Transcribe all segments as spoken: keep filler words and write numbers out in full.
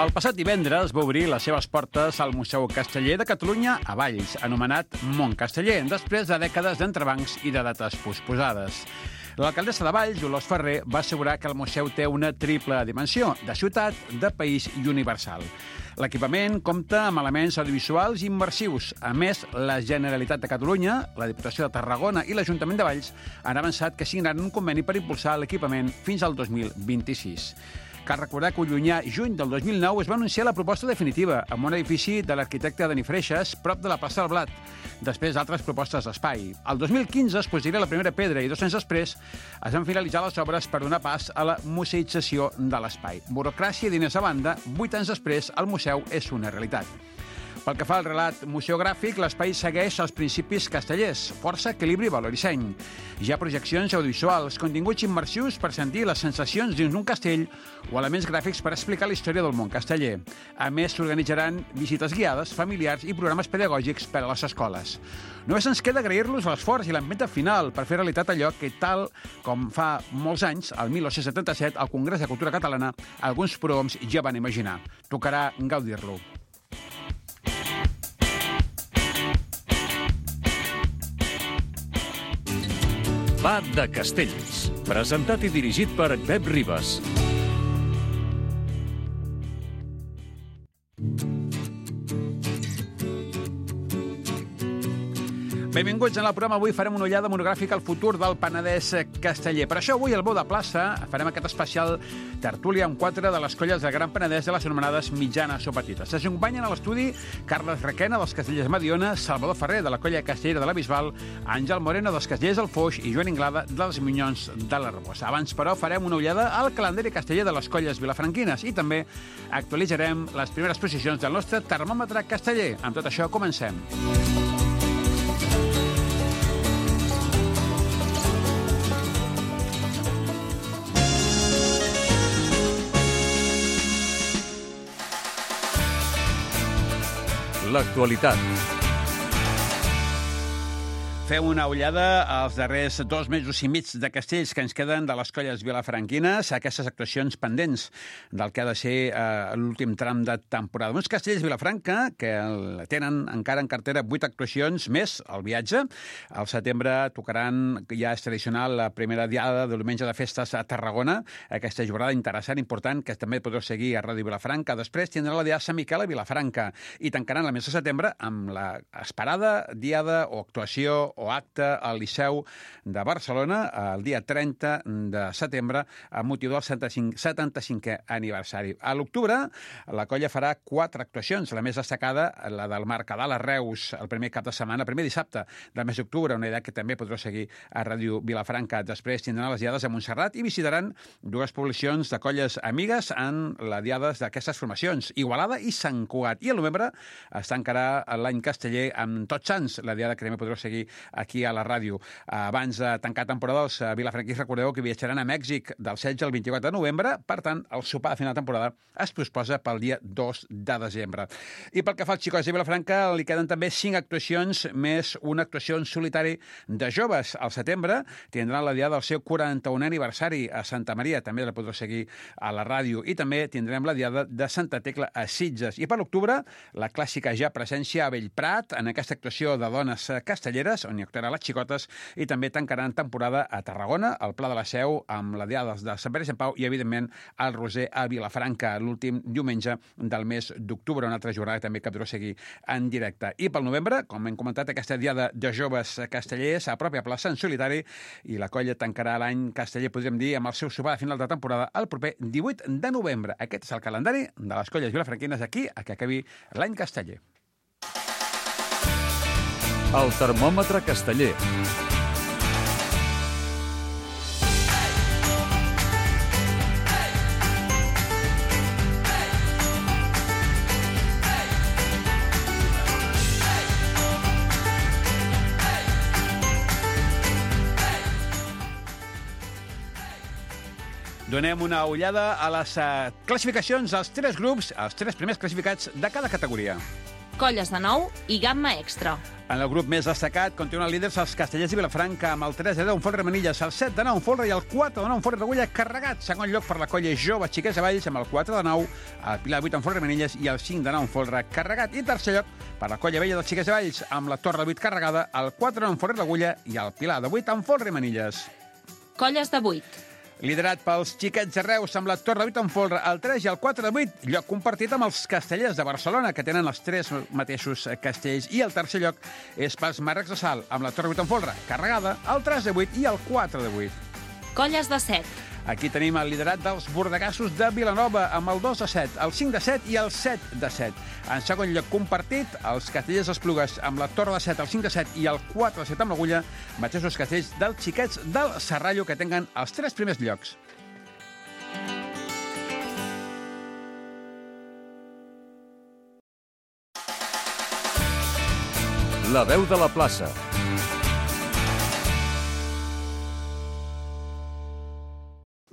El passat divendres va obrir les seves portes al Museu Casteller de Catalunya a Valls, anomenat Mont Casteller, després de dècades d'entrebancs i de dates posposades. L'alcaldessa de Valls, Dolors Ferrer, va assegurar que el museu té una triple dimensió, de ciutat, de país i universal. L'equipament compta amb elements audiovisuals immersius. A més, la Generalitat de Catalunya, la Diputació de Tarragona i l'Ajuntament de Valls han avançat que signaran un conveni per impulsar l'equipament fins al dos mil vint-i-sis. Cal recordar que el llunyà juny del dos mil nou es va anunciar la proposta definitiva amb un edifici de l'arquitecte Dani Freixas prop de la plaça del Blat, després d'altres propostes d'espai. El dos mil quinze es posaria la primera pedra i dos anys després es van finalitzar les obres per donar pas a la museïtzació de l'espai. Burocràcia i diners a banda, vuit anys després el museu és una realitat. Pel que fa al relat museogràfic, l'espai segueix els principis castellers, força, equilibri, valor i seny. Hi ha projeccions audiovisuals, continguts immersius per sentir les sensacions dins d'un castell o elements gràfics per explicar la història del món casteller. A més, s'organitzaran visites guiades, familiars i programes pedagògics per a les escoles. Només ens queda agrair-los l'esforç i l'empenta final per fer realitat allò que, tal com fa molts anys, el mil nou-cents setanta-set, al Congrés de Cultura Catalana, alguns prohoms ja van imaginar. Tocarà gaudir-lo. Va de Castells, presentat i dirigit per Pep Ribas. Benvinguts en el programa. Avui farem una ullada monogràfica al futur del Penedès casteller. Per això avui al Bou de Plaça farem aquest especial tertúlia amb quatre de les colles del Gran Penedès de les anomenades mitjanes o petites. Ens acompanyen a l'estudi Carles Requena, dels Castellers Mediona, Salvador Ferrer, de la colla castellera de la Bisbal, Àngel Moreno, dels Castellers del Foix i Joan Inglada, dels Minyons de l'Arbós. Abans, però, farem una ullada al calendari casteller de les colles vilafranquines i també actualitzarem les primeres posicions del nostre termòmetre casteller. Amb tot això, comencem. L'actualitat. Fem una ullada als darrers dos mesos i mig de castells que ens queden de les colles vilafranquines, aquestes actuacions pendents del que ha de ser eh, l'últim tram de temporada. Uns castells Vilafranca que tenen encara en cartera vuit actuacions més al viatge. Al setembre tocaran, ja és tradicional, la primera diada de diumenge de festes a Tarragona, aquesta jornada interessant, important, que també podreu seguir a Ràdio Vilafranca. Després tindrà la diada Sant Miquel a Vilafranca i tancaran el mes de setembre amb la esperada diada o actuació o acte al Liceu de Barcelona el dia trenta de setembre amb motiu del setanta-cinquè aniversari. A l'octubre la colla farà quatre actuacions, la més destacada, la del Mercadal a Reus, el primer cap de setmana, el primer dissabte del mes d'octubre, una idea que també podreu seguir a Ràdio Vilafranca. Després tindran les diades a Montserrat i visitaran dues poblacions de colles amigues en les diades d'aquestes formacions, Igualada i Sant Cugat. I al novembre es tancarà l'any casteller amb Tots Sants, la diada que també podreu seguir aquí a la ràdio. Abans de tancar temporada, els vilafranquins recordeu que viatjaran a Mèxic del setze al vint-i-quatre de novembre, per tant, el sopar de final de temporada es posposa pel dia dos de desembre. I pel que fa als xicots de Vilafranca, li queden també cinc actuacions, més una actuació en solitari de joves. Al setembre tindran la diada del seu quaranta-unè aniversari a Santa Maria, també la podreu seguir a la ràdio, i també tindrem la diada de Santa Tecla a Sitges. I per l'octubre, la clàssica ja presència a Bellprat, en aquesta actuació de dones castelleres, on hi actuaran les xicotes, i també tancaran temporada a Tarragona, al Pla de la Seu, amb la diada de Sant Pere i Sant Pau i, evidentment, el Roser a Vilafranca, l'últim diumenge del mes d'octubre, una altra jornada també que podreu seguir en directe. I pel novembre, com hem comentat, aquesta diada de joves castellers a pròpia plaça, en solitari, i la colla tancarà l'any casteller, podríem dir, amb el seu sopar de final de temporada el proper divuit de novembre. Aquest és el calendari de les colles vilafranquines aquí a que acabi l'any casteller. El termòmetre casteller. Donem una ullada a les uh, classificacions, als tres grups, els tres primers classificats de cada categoria. colles de nou i gamma extra. En el grup més destacat continuen líders els Castellers i Vilafranca, amb el tres de deu en Folre Manilles, el set de nou en Folre i el quatre de nou en Folre Regulla carregat. Segon lloc per la colla jove Xiquets de Valls, amb el quatre de nou, el Pilar vuit en Folre Manilles i el cinc de nou en Folre carregat. I tercer lloc per la colla vella dels Xiquets de Valls, amb la Torre de vuit carregada, el quatre de nou en Folre Regulla i el Pilar de vuit en Folre Manilles. Colles de vuit. Liderat pels Xiquets de Reus, amb la Torre de vuit en Folre, el tres i el quatre de vuit, lloc compartit amb els Castellers de Barcelona, que tenen els tres mateixos castells, i el tercer lloc és pels Marrecs de Salt, amb la Torre de vuit en Folre, carregada, el tres de vuit i el quatre de vuit. Colles de set. Aquí tenim el liderat dels bordegassos de Vilanova, amb el dos de set, el cinc de set i el set de set. En segon lloc compartit, els Castellers d'Esplugues, amb la Torre de set, el cinc de set i el quatre de set amb l'Agulla, mateixos castells dels Xiquets del Serrallo, que tenen els tres primers llocs. La veu de la plaça.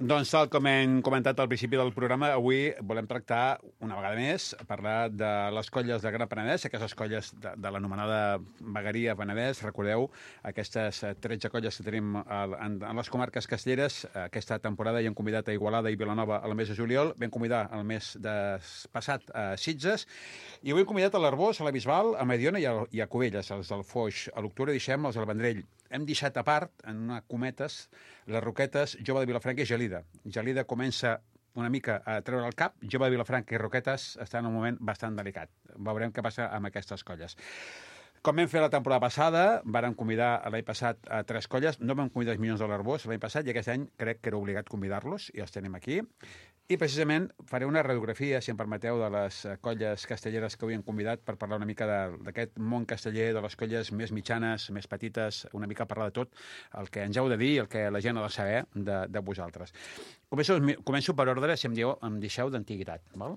Doncs, tal com hem comentat al principi del programa, avui volem tractar, una vegada més, parlar de les colles de Gran Penedès, aquestes colles de, de l'anomenada vegueria Penedès. Recordeu, aquestes tretze colles que tenim en, en les comarques castelleres. Aquesta temporada hi hem convidat a Igualada i Vilanova al mes de juliol, vam convidar el mes de passat a Sitges, i avui hem convidat a l'Arboç, a la Bisbal, a Mediona i a, i a Cubelles, els del Foix. A l'octubre deixem els del Vendrell. Hem deixat a part, en una cometes, les Roquetes, Jove de Vilafranca i Gelida. Gelida comença una mica a treure el cap, Jove de Vilafranca i Roquetes està en un moment bastant delicat. Veurem què passa amb aquestes colles. Com vam fer la temporada passada, vàrem convidar l'any passat a tres colles, no vam convidar els Minyons de l'Arboç l'any passat, i aquest any crec que era obligat convidar-los, i els tenim aquí. I precisament faré una radiografia, si em permeteu, de les colles castelleres que avui hem convidat per parlar una mica d'aquest món casteller, de les colles més mitjanes, més petites, una mica parlar de tot, el que ens heu de dir, el que la gent ha de saber de, de vosaltres. Començo, començo per ordre, si em, dieu, em deixeu d'antiguitat, val?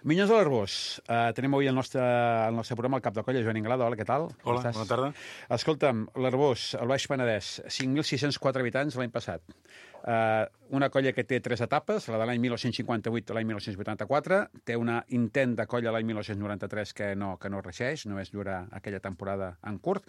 Minyons de l'Arboç. Uh, tenim avui el nostre, el nostre programa, el cap de colla, Joan Inglada. Hola, què tal? Hola, bona tarda. Escolta'm, l'Arboç, el Baix Penedès, cinc mil sis-cents quatre habitants l'any passat. Uh, una colla que té tres etapes, la de l'any dinou cinquanta-vuit a l'any dinou vuitanta-quatre, té una intent de colla l'any dinou noranta-tres que no, que no regeix, només dura aquella temporada en curt,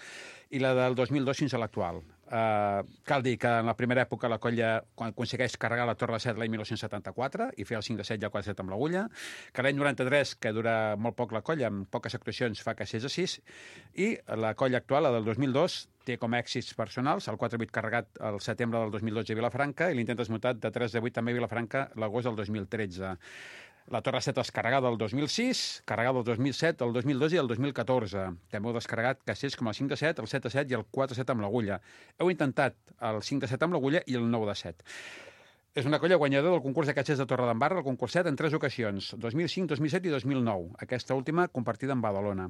i la del dos mil dos fins a l'actual. Uh, cal dir que en la primera època la colla quan aconsegueix carregar la Torre de set l'any dinou setanta-quatre i fer el cinc de set i el quatre de set amb l'Agulla, que l'any noranta-tres, que dura molt poc la colla, amb poques actuacions fa que sis de sis, i la colla actual, la del dos mil dos, té com a èxits personals el quatre de vuit carregat el setembre del dos mil dotze a Vilafranca i l'intent desmuntat de tres de vuit també a Vilafranca l'agost del dos mil tretze. La Torre set descarregada el dos mil sis, carregada el dos mil set, el dos mil dos i el dos mil catorze. També heu descarregat castells com el cinc de set, el set de set i el quatre de set amb l'Agulla. Heu intentat el cinc de set amb l'Agulla i el nou de set. És una colla guanyadora del concurs de castells de Torredembarra, el concurs set, en tres ocasions, dos mil cinc, dos mil set i dos mil nou. Aquesta última compartida amb Badalona.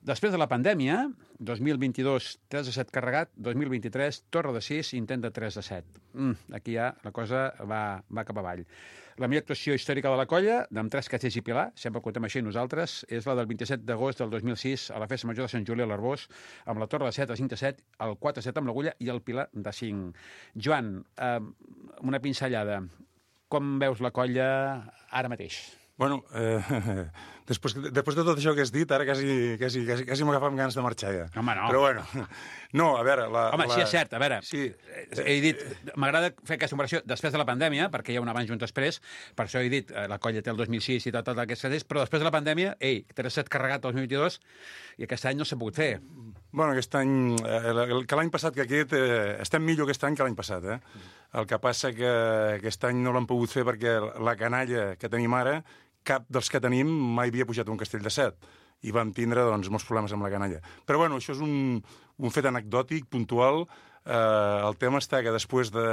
Després de la pandèmia, dos mil vint-i-dos, tres de set carregat, dos mil vint-i-tres, Torre de sis, intent de tres de set. Mm, aquí ja la cosa va, va cap avall. La millor actuació històrica de la colla, amb tres castells i Pilar, sempre ho contem així nosaltres, és la del vint-i-set d'agost del dos mil sis a la Festa Major de Sant Juli a l'Arboç, amb la Torre de set, el cinc de set, el quatre de set amb l'Agulla i el Pilar de cinc. Joan, eh, una pinzellada. Com veus la colla ara mateix? Bueno, eh, després, després de tot això que has dit, ara quasi, quasi, quasi, quasi m'agafa amb ganes de marxar ja. Home, no. Però bueno, no, a veure... La, Home, la... sí, és cert, a veure, sí. he dit, m'agrada fer aquesta comparació després de la pandèmia, perquè hi ha un abans i un després, per això he dit, la colla té el dos mil sis i tot, tot aquest castells, però després de la pandèmia, ei, tres set carregat el dos mil vint-i-dos, i aquest any no s'ha pogut fer. Bueno, aquest any, eh, que l'any passat que aquest, eh, estem millor aquest any que l'any passat, eh? El que passa que aquest any no l'han pogut fer perquè la canalla que tenim ara, cap dels que tenim mai havia pujat un castell de set i vam tindre doncs, molts problemes amb la canalla. Però bueno, això és un, un fet anecdòtic, puntual. Eh, el tema està que després de,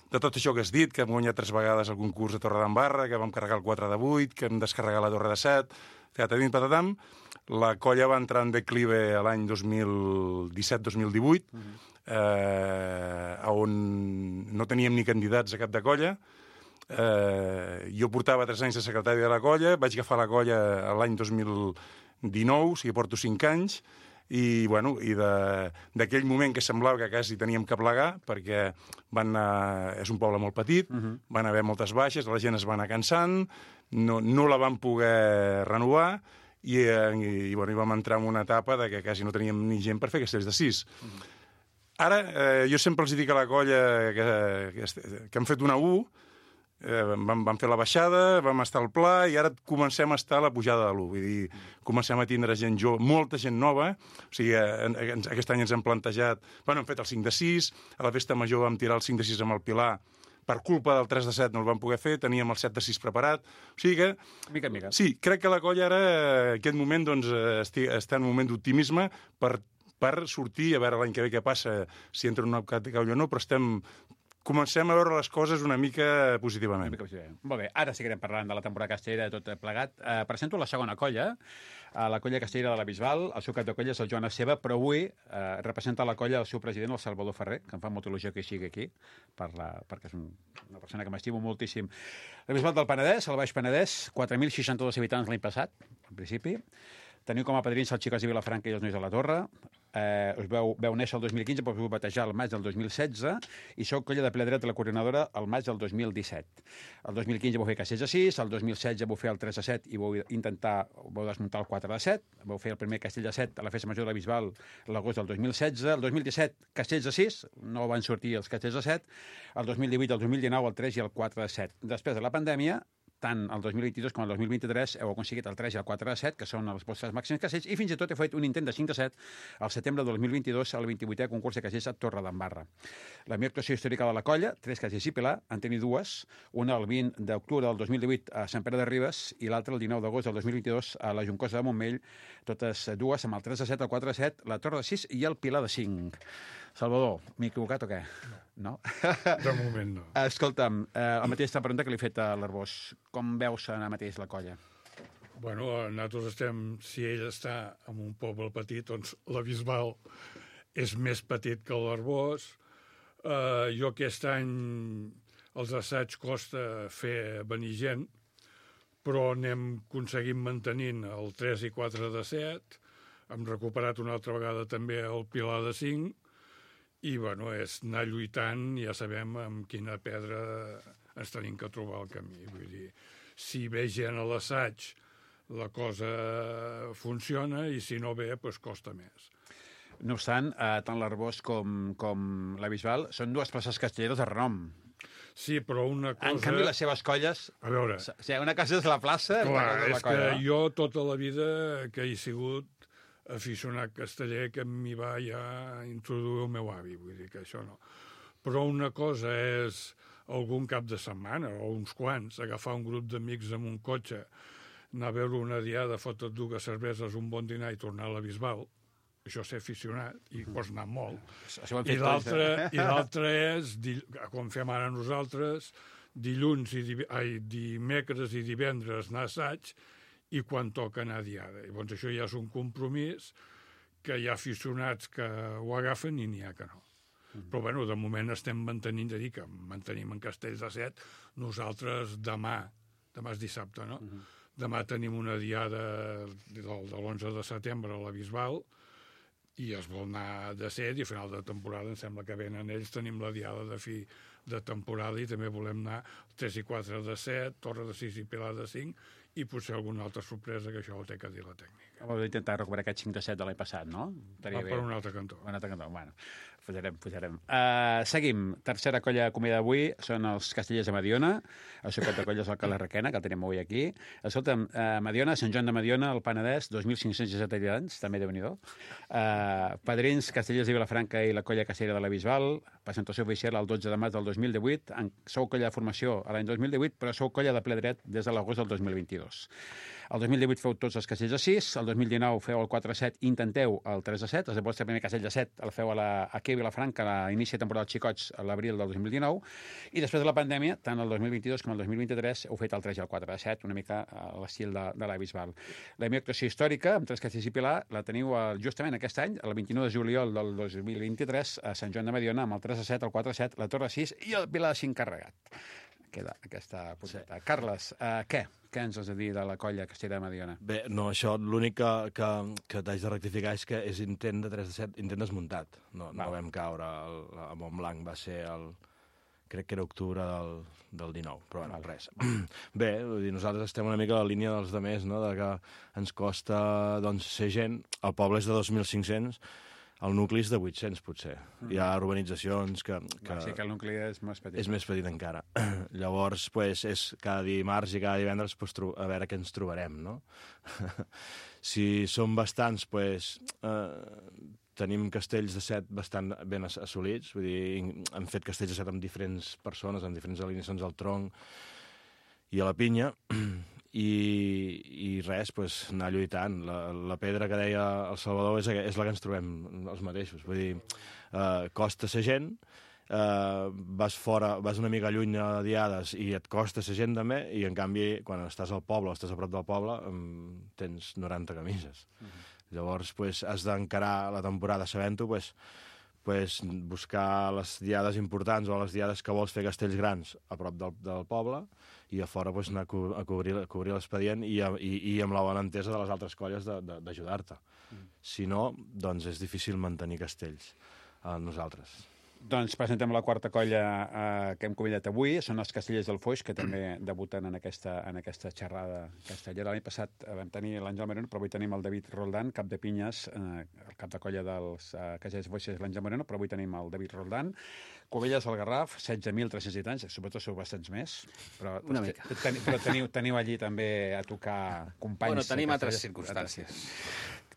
de tot això que has dit, que hem guanyat tres vegades el concurs de Torredembarra, que vam carregar el quatre de vuit, que hem descarregat la Torre de set, tatatim, patatam, la colla va entrar en declive l'any dos mil disset dos mil divuit, uh-huh. eh, on no teníem ni candidats a cap de colla. Eh, jo portava tres anys de secretari de la colla, vaig agafar la colla l'any dos mil dinou, o sigui, porto cinc anys, i, bueno, i d'aquell moment que semblava que quasi teníem que plegar, perquè van anar, és un poble molt petit, uh-huh. van haver moltes baixes, la gent es va anar cansant, no, no la van poder renovar, i, eh, i, i, bueno, i vam entrar en una etapa de que quasi no teníem ni gent per fer castells de sis. Mm. Ara, eh, jo sempre els dic a la colla que, que, que hem fet una U, eh, vam, vam fer la baixada, vam estar al pla, i ara comencem a estar a la pujada de l'U. Vull dir, comencem a tindre gent jove, molta gent nova. O sigui, eh, aquest any ens hem plantejat... Bueno, hem fet el cinc de sis, a la festa major vam tirar el cinc de sis amb el Pilar. Per culpa del tres de set no el vam poder fer, teníem el set de sis preparat. O sigui que... Mica en mica. Sí, crec que la colla ara, en aquest moment, doncs, està en un moment d'optimisme per, per sortir, a veure l'any que ve què passa, si entra en una categoria o no, però estem... Comencem a veure les coses una mica positivament. Una mica positivament. Molt bé, ara seguirem parlant de la temporada castellera tot plegat. Eh, presento la segona colla, eh, la colla castellera de la Bisbal. El seu cap de colla és el Joan Esteve, però avui eh, representa la colla el seu president, el Salvador Ferrer, que em fa molta il·lusió que sigui aquí, per la, perquè és un, una persona que m'estimo moltíssim. La Bisbal del Penedès, el Baix Penedès, quatre mil seixanta-dos habitants l'any passat, en principi. Teniu com a padrins els xicots de Vilafranca i els nois de la Torre. Eh, us veu, veu néixer el dos mil quinze, però us vau batejar el maig del dos mil setze i sou colla de ple dret de la coordinadora el maig del dos mil disset. El dos mil quinze vau fer castells de sis, el dos mil setze vau fer el tres de set i vau intentar, vau desmuntar el quatre de set, vau fer el primer castell de set a la festa major de la Bisbal l'agost del dos mil setze, el dos mil disset castells de sis, no van sortir els castells de set, el dos mil divuit, el dos mil dinou, el tres i el quatre de set. Després de la pandèmia, tant el dos mil vint-i-dos com el dos mil vint-i-tres heu aconseguit el tres i el quatre de set, que són els vostres màxims castells, i fins i tot heu fet un intent de cinc de set al setembre del dos mil vint-i-dos al vint-i-vuitè concurs de castells a Torre d'Embarra. La millor actuació històrica de la colla, tres castells i Pilar, en tenir dues, una el vint d'octubre del dos mil divuit a Sant Pere de Ribes i l'altra el dinou d'agost del dos mil vint-i-dos a la Juncosa de Montmell, totes dues amb el tres de set, el quatre de set, la Torre de sis i el Pilar de cinc. Salvador, m'he equivocat o què? No? De moment no. Escolta'm, eh, la mateixa pregunta que li he fet a l'Arbós. Com veus ara mateix la colla? Bueno, nosaltres estem... Si ell està en un poble petit, doncs la Bisbal és més petit que l'Arbós. Eh, jo aquest any els assaigs costa fer venir gent, però anem aconseguint mantenint el tres i quatre de set. Hem recuperat una altra vegada també el Pilar de cinc. I, bueno, és anar lluitant, ja sabem amb quina pedra ens tenim que trobar al camí. Vull dir, si ve gent a l'assaig, la cosa funciona, i si no ve, doncs costa més. No obstant, eh, tant l'Arbós com, com la Bisbal són dues places castelleres de renom. Sí, però una cosa... En canvi, les seves colles... A veure... O sigui, una cosa és la plaça... Clar, és la colla, que no? jo tota la vida que he sigut aficionat casteller, que m'hi va ja introduir el meu avi, vull dir que això no. Però una cosa és algun cap de setmana, o uns quants, agafar un grup d'amics amb un cotxe, anar a veure una diada, fotre dues cerveses, un bon dinar i tornar a la Bisbal. Això és ser aficionat, i pots anar molt. I l'altre i l'altre és, com fem ara nosaltres, dilluns i div... Ai, dimecres i divendres anar a assaig, i quan toca anar a diada. Llavors això ja és un compromís que hi ha aficionats que ho agafen i n'hi ha que no. Mm. Però, bueno, de moment estem mantenint, de dir que mantenim en castells de set. Nosaltres demà, demà és dissabte, no? Mm. Demà tenim una diada de, de l'onze de setembre a la Bisbal i es vol anar de set i a final de temporada, em sembla que venen ells, tenim la diada de fi de temporada i també volem anar tres i quatre de set, Torre de sis i Pilar de cinc, i potser alguna altra sorpresa, que això ho té que dir la tècnica. Vam intentar recuperar aquest cinc de set de l'any passat, no? Va per un altre cantó. Un altre cantó, bueno, pujarem, pujarem. Uh, seguim. Tercera colla de comida d'avui són els Castellers de Mediona. El seu cap de colla és el Cala Requena, que el tenim avui aquí. Escolta'm, uh, Mediona, Sant Joan de Mediona, el Penedès, dos mil cinc-cents disset habitants, també déu-n'hi-do. Uh, padrins, Castellers de Vilafranca i la colla castellera de la Bisbal. Presentació oficial el dotze de maig del dos mil divuit. En, sou colla de formació a l'any dos mil divuit, però sou colla de ple dret des de l'agost del dos mil vint-i-dos. El dos mil divuit feu tots els castells de sis, el dos mil dinou feu el quatre de set, intenteu el tres de set, el vostre primer castell de set el feu a la, aquí a Vilafranca a l'inici de temporada dels xicots a l'abril del dos mil dinou, i després de la pandèmia, tant el dos mil vint-i-dos com el dos mil vint-i-tres, heu fet el tres i el quatre de set, una mica a l'estil de, de la Bisbal. La meva actuació històrica, amb tres castells i Pilar, la teniu justament aquest any, el vint-i-nou de juliol del dos mil vint-i-tres, a Sant Joan de Mediona, amb el tres de set, el quatre de set, la Torre de sis i el Pilar de cinc carregat. Queda aquesta punteta. Sí. Carles, uh, què? Què ens has de dir de la colla castellera de Mediona? Bé, no, això l'únic que, que, que t'haig de rectificar és que és intent de tres de set, intent desmuntat. No, no vam caure, el, a Montblanc va ser el crec que era octubre del, del dinou, però bueno, res. Bé, vull dir, nosaltres estem una mica a la línia dels demés, no?, de que ens costa, doncs, ser gent. El poble és de dos mil cinc-cents, el nucli és de vuit-cents, potser. Mm. Hi ha urbanitzacions que... que... Va, sí que el nucli és més petit. És més petit encara. Llavors, pues, és cada dimarts i cada divendres pues, a veure què ens trobarem, no? Si som bastants, pues, eh, tenim castells de set bastant ben assolits. Vull dir, hem fet castells de set amb diferents persones, amb diferents alineacions al tronc i a la pinya. I, i res, pues, anar lluitant. La, la pedra que deia el Salvador és, és la que ens trobem els mateixos. Vull dir, eh, costa ser gent, eh, vas fora, vas una mica lluny a diades i et costa ser gent també, i en canvi, quan estàs al poble o estàs a prop del poble, tens noranta camises. Uh-huh. Llavors, pues, has d'encarar la temporada sabent-ho, pues, pues, buscar les diades importants o les diades que vols fer castells grans a prop del, del poble, i a fora pues, anar a, co a cobrir, a cobrir l'expedient i, i, i amb la bona entesa de les altres colles d'ajudar-te. Mm. Si no, doncs és difícil mantenir castells a nosaltres. Doncs presentem la quarta colla eh, que hem convidat avui. Són els Castellers del Foix, que també debuten en aquesta, en aquesta xerrada castellera. L'any passat vam tenir l'Àngel Moreno, però avui tenim el David Roldán, cap de pinyes, eh, el cap de colla dels eh, Castellers del Foix és l'Àngel Moreno, però avui tenim el David Roldán. Covelles al Garraf, setze mil tres-cents anys, sobretot sou bastants més, però, Una mica. ten, però teniu, teniu allí també a tocar companys. Bueno, tenim altres circumstàncies.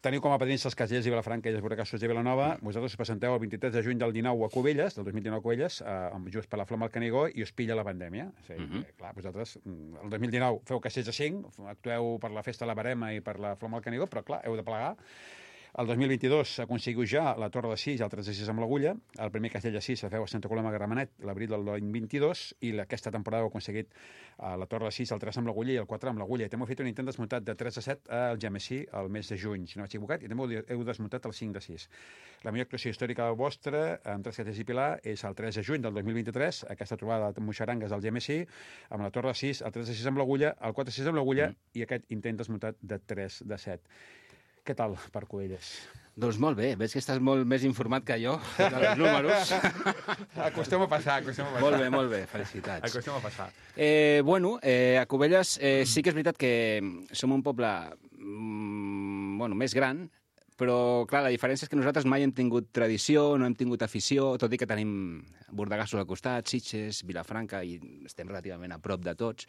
Teniu com a padrins els Castellers de Vilafranca i els Borracassos de Vilanova. Vosaltres us presenteu el vint-i-tres de juny del dinou a Cubelles, del dos mil dinou a Cubelles, eh, just per la Flama al Canigó, i us pilla la pandèmia. O sigui, uh -huh. clar, vosaltres, el dos mil dinou feu castells de cinc, actueu per la Festa de la Barema i per la Flama al Canigó, però clar, heu de plegar. El dos mil vint-i-dos aconseguiu ja la Torre de sis i el tres de sis amb l'Agulla. El primer castell de sis se feu a Santa Coloma de Gramenet l'abril del any vint-i-dos, i aquesta temporada heu aconseguit uh, la Torre de sis, el tres amb l'Agulla i el quatre amb l'Agulla. I també heu fet un intent desmuntat de tres a set al Gemesí el mes de juny, si no m'he equivocat, i també heu desmuntat el cinc de sis. La millor actuació històrica vostra, amb tres castells i pilar, és el tres de juny del dos mil vint-i-tres, aquesta trobada de Moixarangues al Gemesí, amb la Torre de sis, el tres de sis amb l'Agulla, el quatre de sis amb l'Agulla mm. i aquest intent desmuntat de tres de set. Què tal per Cubelles? Doncs molt bé, veig que estàs molt més informat que jo dels números. Acostem a passar, acostem a passar. Molt bé, molt bé, felicitats. Acostem a passar. Eh, bueno, eh, a Cubelles eh, sí que és veritat que som un poble mm, bueno, més gran, però, clar, la diferència és que nosaltres mai hem tingut tradició, no hem tingut afició, tot i que tenim Bordegassos al costat, Sitges, Vilafranca, i estem relativament a prop de tots.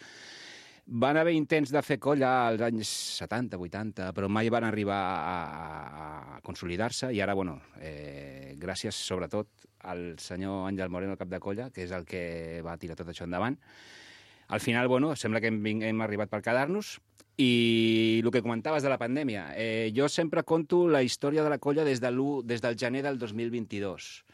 Van haver intents de fer colla als anys setanta, vuitanta, però mai van arribar a, a consolidar-se, i ara, bueno, eh, gràcies sobretot al senyor Àngel Moreno, el cap de colla, que és el que va tirar tot això endavant. Al final, bueno, sembla que hem, hem arribat per quedar-nos, i el que comentaves de la pandèmia, eh, jo sempre conto la història de la colla des, de des del gener del dos mil vint-i-dos,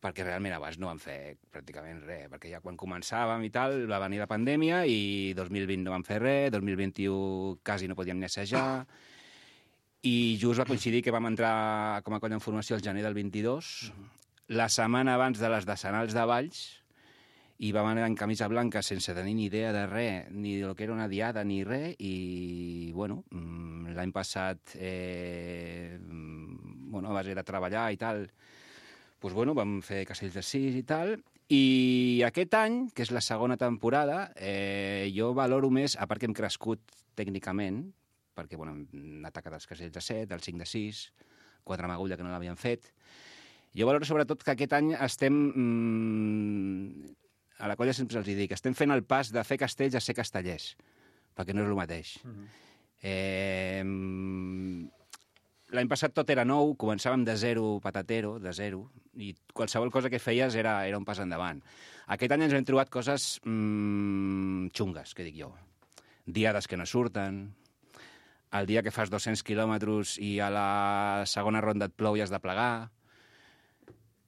perquè realment abans no vam fer pràcticament res, perquè ja quan començàvem i tal va venir la pandèmia i dos mil vint no vam fer res, dos mil vint-i-u quasi no podíem ni assajar, i just va coincidir que vam entrar com a colla en formació el gener del vint-i-dos, la setmana abans de les decenals de Valls, i vam anar en camisa blanca sense tenir ni idea de res, ni del que era una diada ni res, i bueno, l'any passat, eh, bueno, a base de treballar i tal, doncs, bueno, vam fer castells de sis i tal, i aquest any, que és la segona temporada, eh, jo valoro més, a part que hem crescut tècnicament, perquè, bueno, hem atacat els castells de set, el cinc de sis, quatre amb agulla que no l'havien fet, jo valoro sobretot que aquest any estem, mmm, a la colla sempre els dic, estem fent el pas de fer castells a ser castellers, perquè no és el mateix. Uh-huh. eh, L'any passat tot era nou, començàvem de zero patatero, de zero, i qualsevol cosa que feies era, era un pas endavant. Aquest any ens hem trobat coses mmm, xungues, que dic jo. Diades que no surten, el dia que fas dos-cents quilòmetres i a la segona ronda et plou i has de plegar,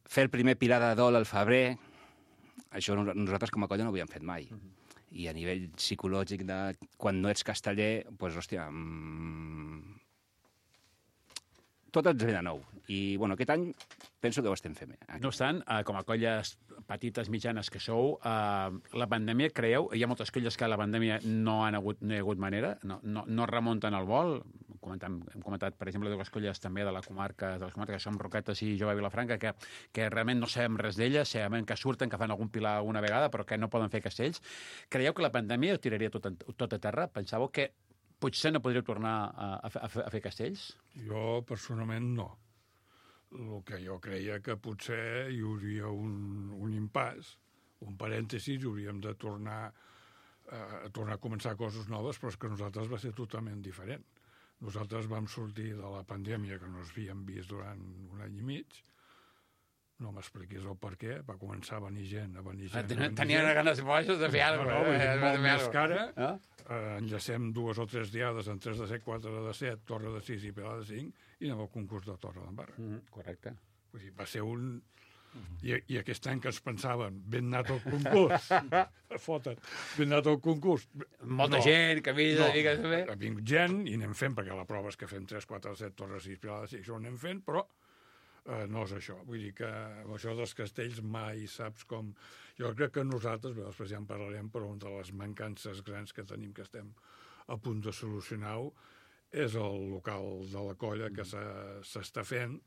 fer el primer pilar de dol al febrer, això nosaltres com a colla no ho havíem fet mai. Uh-huh. I a nivell psicològic, de, quan no ets casteller, doncs, hòstia, mmm, tot ens ve de nou. I, bueno, aquest any penso que ho estem fent bé. No obstant, eh, com a colles petites, mitjanes que sou, eh, la pandèmia, creieu, hi ha moltes colles que la pandèmia no han hagut, no hi ha hagut manera, no, no, no remunten el vol, comentam, hem comentat, per exemple, dues colles també de la comarca, de les comarques que som Roquetes i Jove Vilafranca, que, que realment no sabem res d'elles, sabem que surten, que fan algun pilar alguna vegada, però que no poden fer castells. Creieu que la pandèmia ho tiraria tot, tot a terra? Pensàveu que potser no podríeu tornar a, a, a, a fer castells? Jo, personalment, no. El que jo creia que potser hi hauria un, un impàs, un parèntesis, i hauríem de tornar a tornar a començar coses noves, però és que nosaltres va ser totalment diferent. Nosaltres vam sortir de la pandèmia que no ens havíem vist durant un any i mig, no m'expliquis el per què, va començar a venir gent, a venir gent... Tenia, tenia ganes boges de fer alguna cosa. No, eh? Molt més cara, no? eh, enllacem dues o tres diades en tres de set, quatre de set, torre de sis i pilar de cinc, i anem al concurs de Torre d'Embarra. Mm, correcte. Vull dir, va ser un... I, I aquest any que ens pensaven, ben anat al concurs, foten, ben anat al concurs. Molta no, gent, que havia no, de fer... Ha vingut gent i anem fent, perquè la prova és que fem tres, quatre, set, torres, sis, pilades, i això ho anem fent, però eh, no és això. Vull dir que amb això dels castells mai saps com... Jo crec que nosaltres, bé, després ja en parlarem, però una de les mancances grans que tenim, que estem a punt de solucionar-ho, és el local de la colla que s'està fent,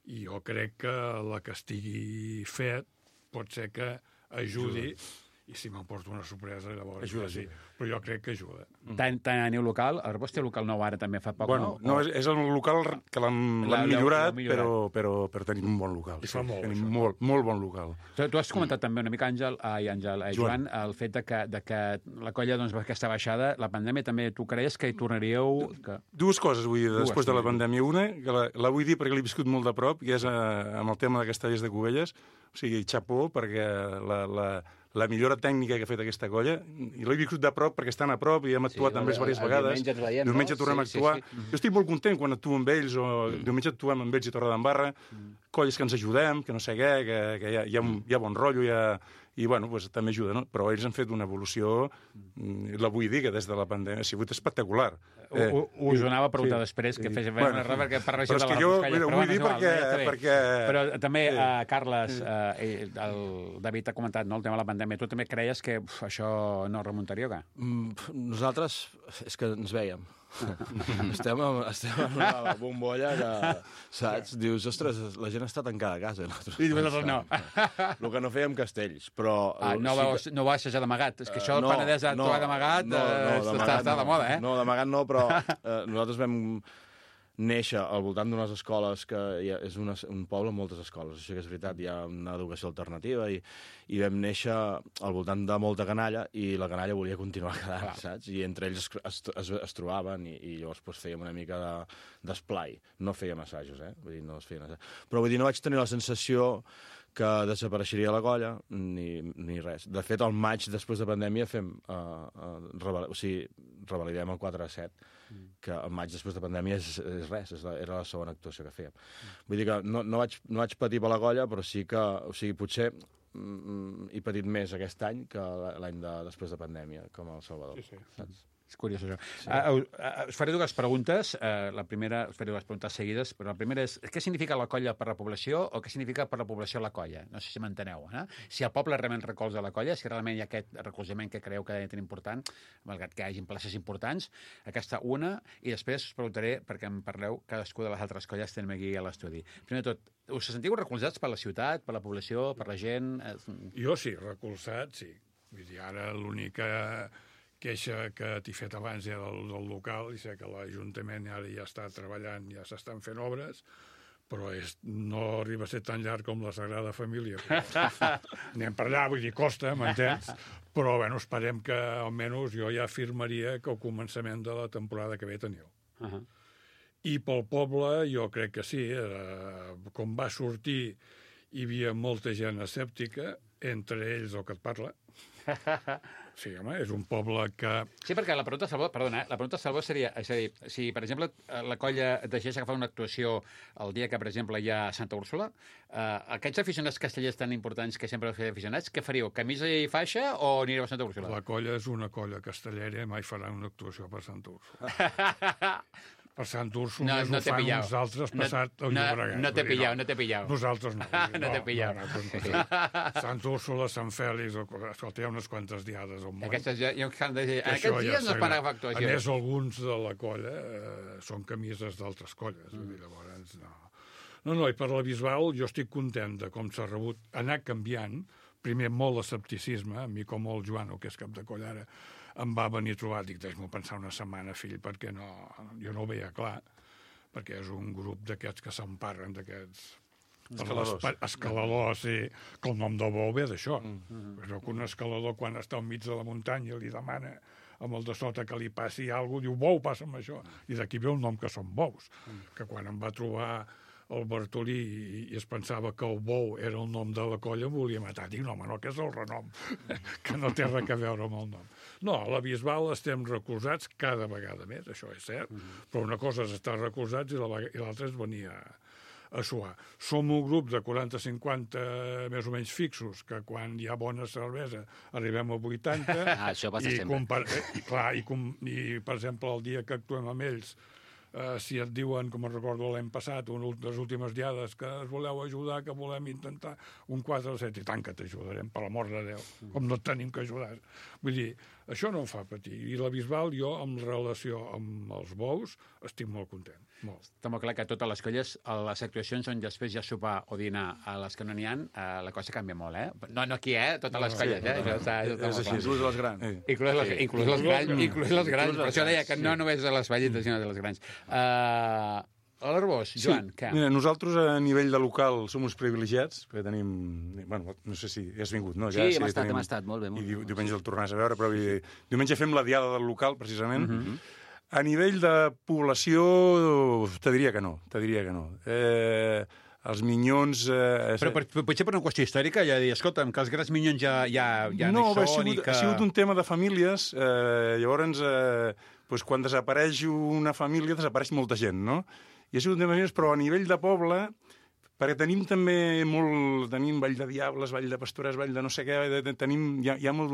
i jo crec que la que estigui fet pot ser que ajudi, i si m'emporto una sorpresa, llavors ajuda, sí. sí. Però jo crec que ajuda. Tant, tant aneu local, el vostre local nou ara també fa poc, bueno, no? no, és, és el local que l'hem millorat, millorat, però, però, però tenim un bon local. I fa molt, tenim això. molt, molt bon local. Tu, tu has comentat també una mica, Àngel, ai, Àngel, eh, Joan, el fet de que, de que la colla, doncs, aquesta baixada, la pandèmia també, tu creies que hi tornaríeu... Que... Dues coses, vull dir, Dues, després de la sí. pandèmia. Una, que la, la vull dir perquè l'he viscut molt de prop, i és eh, amb el tema de Castellers de Cubelles, o sigui, xapó, perquè la, la, la millora tècnica que ha fet aquesta colla, i l'he viscut de prop perquè estan a prop i hem actuat Sí, amb ells diverses el vegades. diumenge ens veiem, diumenge no? tornem Sí, a actuar. sí, sí. Jo estic molt content quan actuo amb ells, o diumenge actuem amb ells i Torre d'Embarra, colles que ens ajudem, que no sé què, que, que hi, ha, hi, ha, hi ha bon rotllo, hi ha... i bueno, pues, també ajuda, no? Però ells han fet una evolució, la vull dir, que des de la pandèmia ha sigut espectacular. Eh, uh, uh, us ho anava a preguntar sí, després, que sí. fes Bueno, una error, perquè per però regió és de que la jo, Roscalla, mira, però vull bueno, dir és igual, perquè- ja està bé. perquè- Però també, Sí. uh, Carles, uh, el David ha comentat, no?, el tema de la pandèmia. Tu també creies que uf, això no remuntaria o què? Mm, nosaltres, és que ens veiem. estem, en, estem en una bombolla que, saps? Dius, ostres, la gent està tancada a casa. Nosaltres, I vosaltres no. El que no fèiem castells, però... Ah, no, sí vau, que- no va assajar d'amagat. És que això Eh, del Penedès a actuar d'amagat no, no, eh, d'amagat està, està no. de moda, eh? No, d'amagat no, però eh, nosaltres vam néixer al voltant d'unes escoles que hi ha, és una, un poble amb moltes escoles, això que és veritat, hi ha una educació alternativa i, i vam néixer al voltant de molta canalla i la canalla volia continuar quedant, Clar. saps? I entre ells es, es, es, es trobaven i, i llavors pues, fèiem una mica de, d'esplai. No fèiem assajos, eh? Vull dir, no es feien assajos. Però vull dir, no vaig tenir la sensació que desapareixeria la colla, ni, ni res. De fet, al maig, després de pandèmia, fem, uh, uh, reval... o sigui, revalidem el quatre a set, mm. que al maig, després de pandèmia, és, és res, és la, era la segona actuació que fèiem. Mm. Vull dir que no, no, vaig, no vaig patir per la colla, però sí que, o sigui, potser mm, he patit més aquest any que l'any de, després de pandèmia, com a El Salvador. Sí, sí. Saps? És curiós, això. Sí. Uh, uh, us faré dues preguntes. Uh, la primera, us faré dues preguntes seguides, però la primera és què significa la colla per la població o què significa per la població la colla? No sé si m'enteneu, eh? Si el poble realment recolza la colla, si realment hi ha aquest recolzament que creu que és tan important, malgrat que hi hagi places importants, aquesta una, i després us preguntaré, perquè em parleu, cadascú de les altres colles tenim aquí a l'estudi. Primer de tot, us sentiu recolzats per la ciutat, per la població, per la gent? Jo sí, recolzat, sí. Vull dir, ara l'única queixa que t'he fet abans era del, del local, i sé que l'Ajuntament ara ja està treballant, ja s'estan fent obres, però és, no arriba a ser tan llarg com la Sagrada Família. Anem per allà, vull dir, costa, m'entens? Però, bueno, esperem que, almenys, jo ja afirmaria que al començament de la temporada que ve teniu. Uh -huh. I pel poble, jo crec que sí. Eh, com va sortir, hi havia molta gent escèptica, entre ells el que et parla. Sí, home, és un poble que... Sí, perquè la pregunta, Salvador, perdona, eh? la pregunta, Salvador, seria, és a dir, si, per exemple, la colla decideix agafar una actuació el dia que, per exemple, hi ha Santa Úrsula, eh, aquests aficionats castellers tan importants que sempre heu fet aficionats, què faríeu? Camisa i faixa o anireu a Santa Úrsula? La colla és una colla castellera i mai farà una actuació per Santa Úrsula. Per Sant Úrsula No, no, no ho t'he fan pillau. uns altres No- passat el no- Llobregat. no t'he Vull dir, pillau, no t'he pillau. Nosaltres no. No t'he pillau. No, no, no. Sant Úrsula, Sant Fèlix, escolta, hi ha unes quantes diades al món. Aquestes ja, ja han de dir. En Això aquests ja dies no es s'agrada. para A actuació. més, alguns de la colla eh, són camises d'altres colles. Mm. Vull dir, llavors, no. No, no, i per la Bisbal jo estic content de com s'ha rebut anar canviant. Primer, molt escepticisme. A mi, com el Joano, que és cap de colla ara, em va venir a trobar. Dic, deixa'm pensar una setmana, fill, perquè no, jo no ho veia clar, perquè és un grup d'aquests que s'emparren, d'aquests... Escaladors. Escaladors, sí. Que el nom del bou ve d'això. Mm. Però que un escalador, quan està al mig de la muntanya, li demana amb el de sota que li passi alguna cosa, diu, bou, passa'm això. I d'aquí ve el nom que són bous. Mm. Que quan em va trobar el Bartolí i, i es pensava que el bou era el nom de la colla, em volia matar. Dic, no, home, no, que és el renom, que no té res a veure amb el nom. No, a la Bisbal estem recolzats cada vegada més, això és cert, mm. però una cosa és estar recolzats i l'altra és venir a, a suar. Som un grup de quaranta cinquanta més o menys fixos, que quan hi ha bona cervesa arribem a vuitanta. Ah, això passa i sempre. Compar i, clar, i, com, i, per exemple, el dia que actuem amb ells, Uh, si et diuen, com es recordo l'any passat, una de les últimes diades, que es voleu ajudar, que volem intentar un quatre o set, i tant que t'ajudarem, per l'amor de Déu, com no et tenim que ajudar. Vull dir, això no em fa patir. I la Bisbal, jo, en relació amb els bous, estic molt content. Molt. Està molt clar que totes les colles, a les actuacions on després hi ha sopar o dinar a les que no n'hi ha, eh, la cosa canvia molt, eh? No, no aquí, eh? Totes les No, colles, sí, eh? no, Això està, això està és molt així, clar. Inclús les grans. Eh. Inclús les, Sí. inclús les grans, inclús les grans. Per això deia que no només de les vellites, sinó de les grans. Uh, a l'Arbós, Joan, sí. què? Mira, nosaltres a nivell de local som uns privilegiats, perquè tenim... Bueno, no sé si has vingut, no? Sí, Ja, hem estat, tenim- hem estat, molt bé, molt I bé. diu, diumenge el tornaràs a veure, però vull dir, diumenge fem la diada del local, precisament. Mhm. Mm -hmm. A nivell de població, te diria que no, te diria que no. Eh, els minyons... Eh, Però per, per, potser per una qüestió històrica, ja dir, escolta'm, que els grans minyons ja, ja, ja no, hi ha són sigut, i que... ha sigut un tema de famílies, eh, llavors, eh, doncs quan desapareix una família, desapareix molta gent, no? I ha sigut un tema de famílies, però a nivell de poble, perquè tenim també molt... Tenim Vall de Diables, Vall de Pastures, Vall de no sé què, de, de, tenim, hi ha, hi ha molt,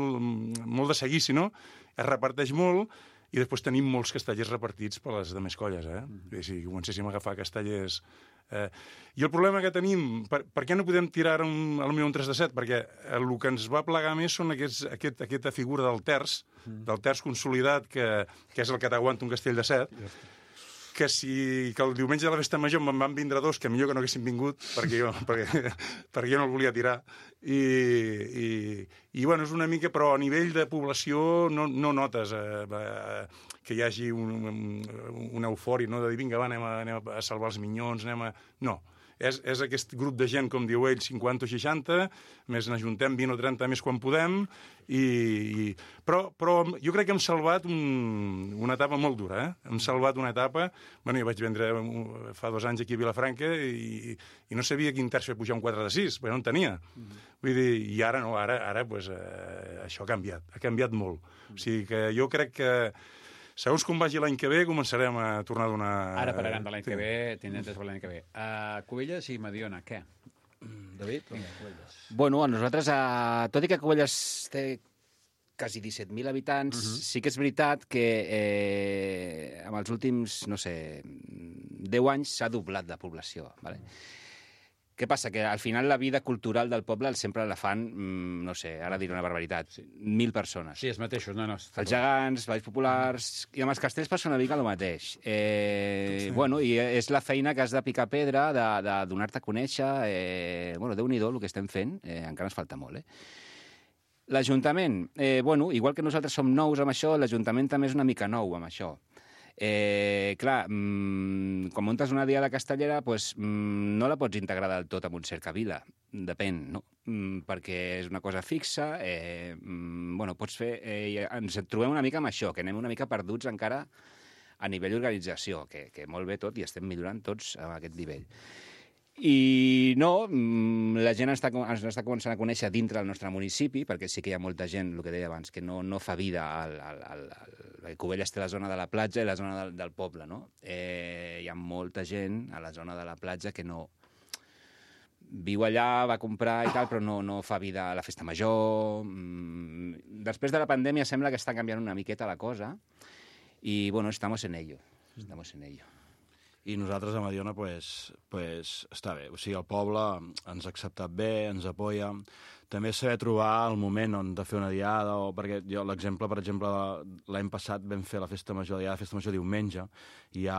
molt de seguici, no? Es reparteix molt, i després tenim molts castellers repartits per les demés colles, eh? Mm. Si comencéssim a agafar castellers... Eh, I el problema que tenim, per, per què no podem tirar un, potser un tres de set? Perquè el que ens va plegar més són aquests, aquest, aquesta figura del terç, mm. del terç consolidat, que, que és el que t'aguanta un castell de set, que si que el diumenge de la festa major me'n van vindre dos, que millor que no haguessin vingut, perquè jo, perquè, perquè jo no el volia tirar. I, i, i bueno, és una mica, però a nivell de població no, no notes eh, eh, que hi hagi un, un, una eufòria, no? De dir, vinga, va, anem a, anem a salvar els minyons, anem a... No. És, és aquest grup de gent, com diu ell, cinquanta o seixanta, més n'ajuntem vint o trenta més quan podem, i, i... Però, però jo crec que hem salvat un, una etapa molt dura, eh? Hem salvat una etapa... Bueno, jo vaig vendre fa dos anys aquí a Vilafranca i, i no sabia quin terç fer pujar un quatre de sis, perquè no en tenia. Mm. Vull dir, i ara no, ara, ara pues, eh, això ha canviat, ha canviat molt. Mm. O sigui que jo crec que segons com vagi l'any que ve, començarem a tornar a donar... Ara pararan de l'any que ve, tindrem des de l'any que ve. Uh, Cubelles i Mediona, què? David? Vinga, Cubelles. Bueno, a nosaltres, uh, tot i que Cubelles té quasi disset mil habitants, uh -huh. sí que és veritat que eh, en els últims, no sé, deu anys s'ha doblat la població. Vale? Què passa? Que al final la vida cultural del poble sempre la fan, mm, no sé, ara diré una barbaritat, sí. mil persones. Sí, els mateixos, no, no. Els gegants, balls populars... I amb els castells passa una mica el mateix. Eh, sí. Bueno, i és la feina que has de picar pedra, de, de donar-te a conèixer... Eh, bueno, Déu-n'hi-do el que estem fent, eh, encara ens falta molt, eh? L'Ajuntament, eh, bueno, igual que nosaltres som nous amb això, l'Ajuntament també és una mica nou amb això. Eh, clar, mmm, quan muntes una diada castellera, pues, mmm, no la pots integrar del tot en un cercavila, depèn, no? Mm, perquè és una cosa fixa, eh, mm, bueno, pots fer... Eh, ens trobem una mica amb això, que anem una mica perduts encara a nivell d'organització, que, que molt bé tot i estem millorant tots a aquest nivell. I no, la gent està, ens està començant a conèixer dintre del nostre municipi, perquè sí que hi ha molta gent, el que deia abans, que no, no fa vida al, al, al, al... Cubelles té la zona de la platja i la zona del, del poble, no? Eh, hi ha molta gent a la zona de la platja que no viu allà, va comprar i tal, però no, no fa vida a la festa major. Després de la pandèmia sembla que està canviant una miqueta la cosa i, bueno, estamos en ello, estamos en ello. i nosaltres a Mediona pues, pues, està bé. O sigui, el poble ens ha acceptat bé, ens apoya. També saber trobar el moment on de fer una diada, o, perquè jo l'exemple, per exemple, l'any passat vam fer la festa major, la diada de festa major diumenge, i hi ha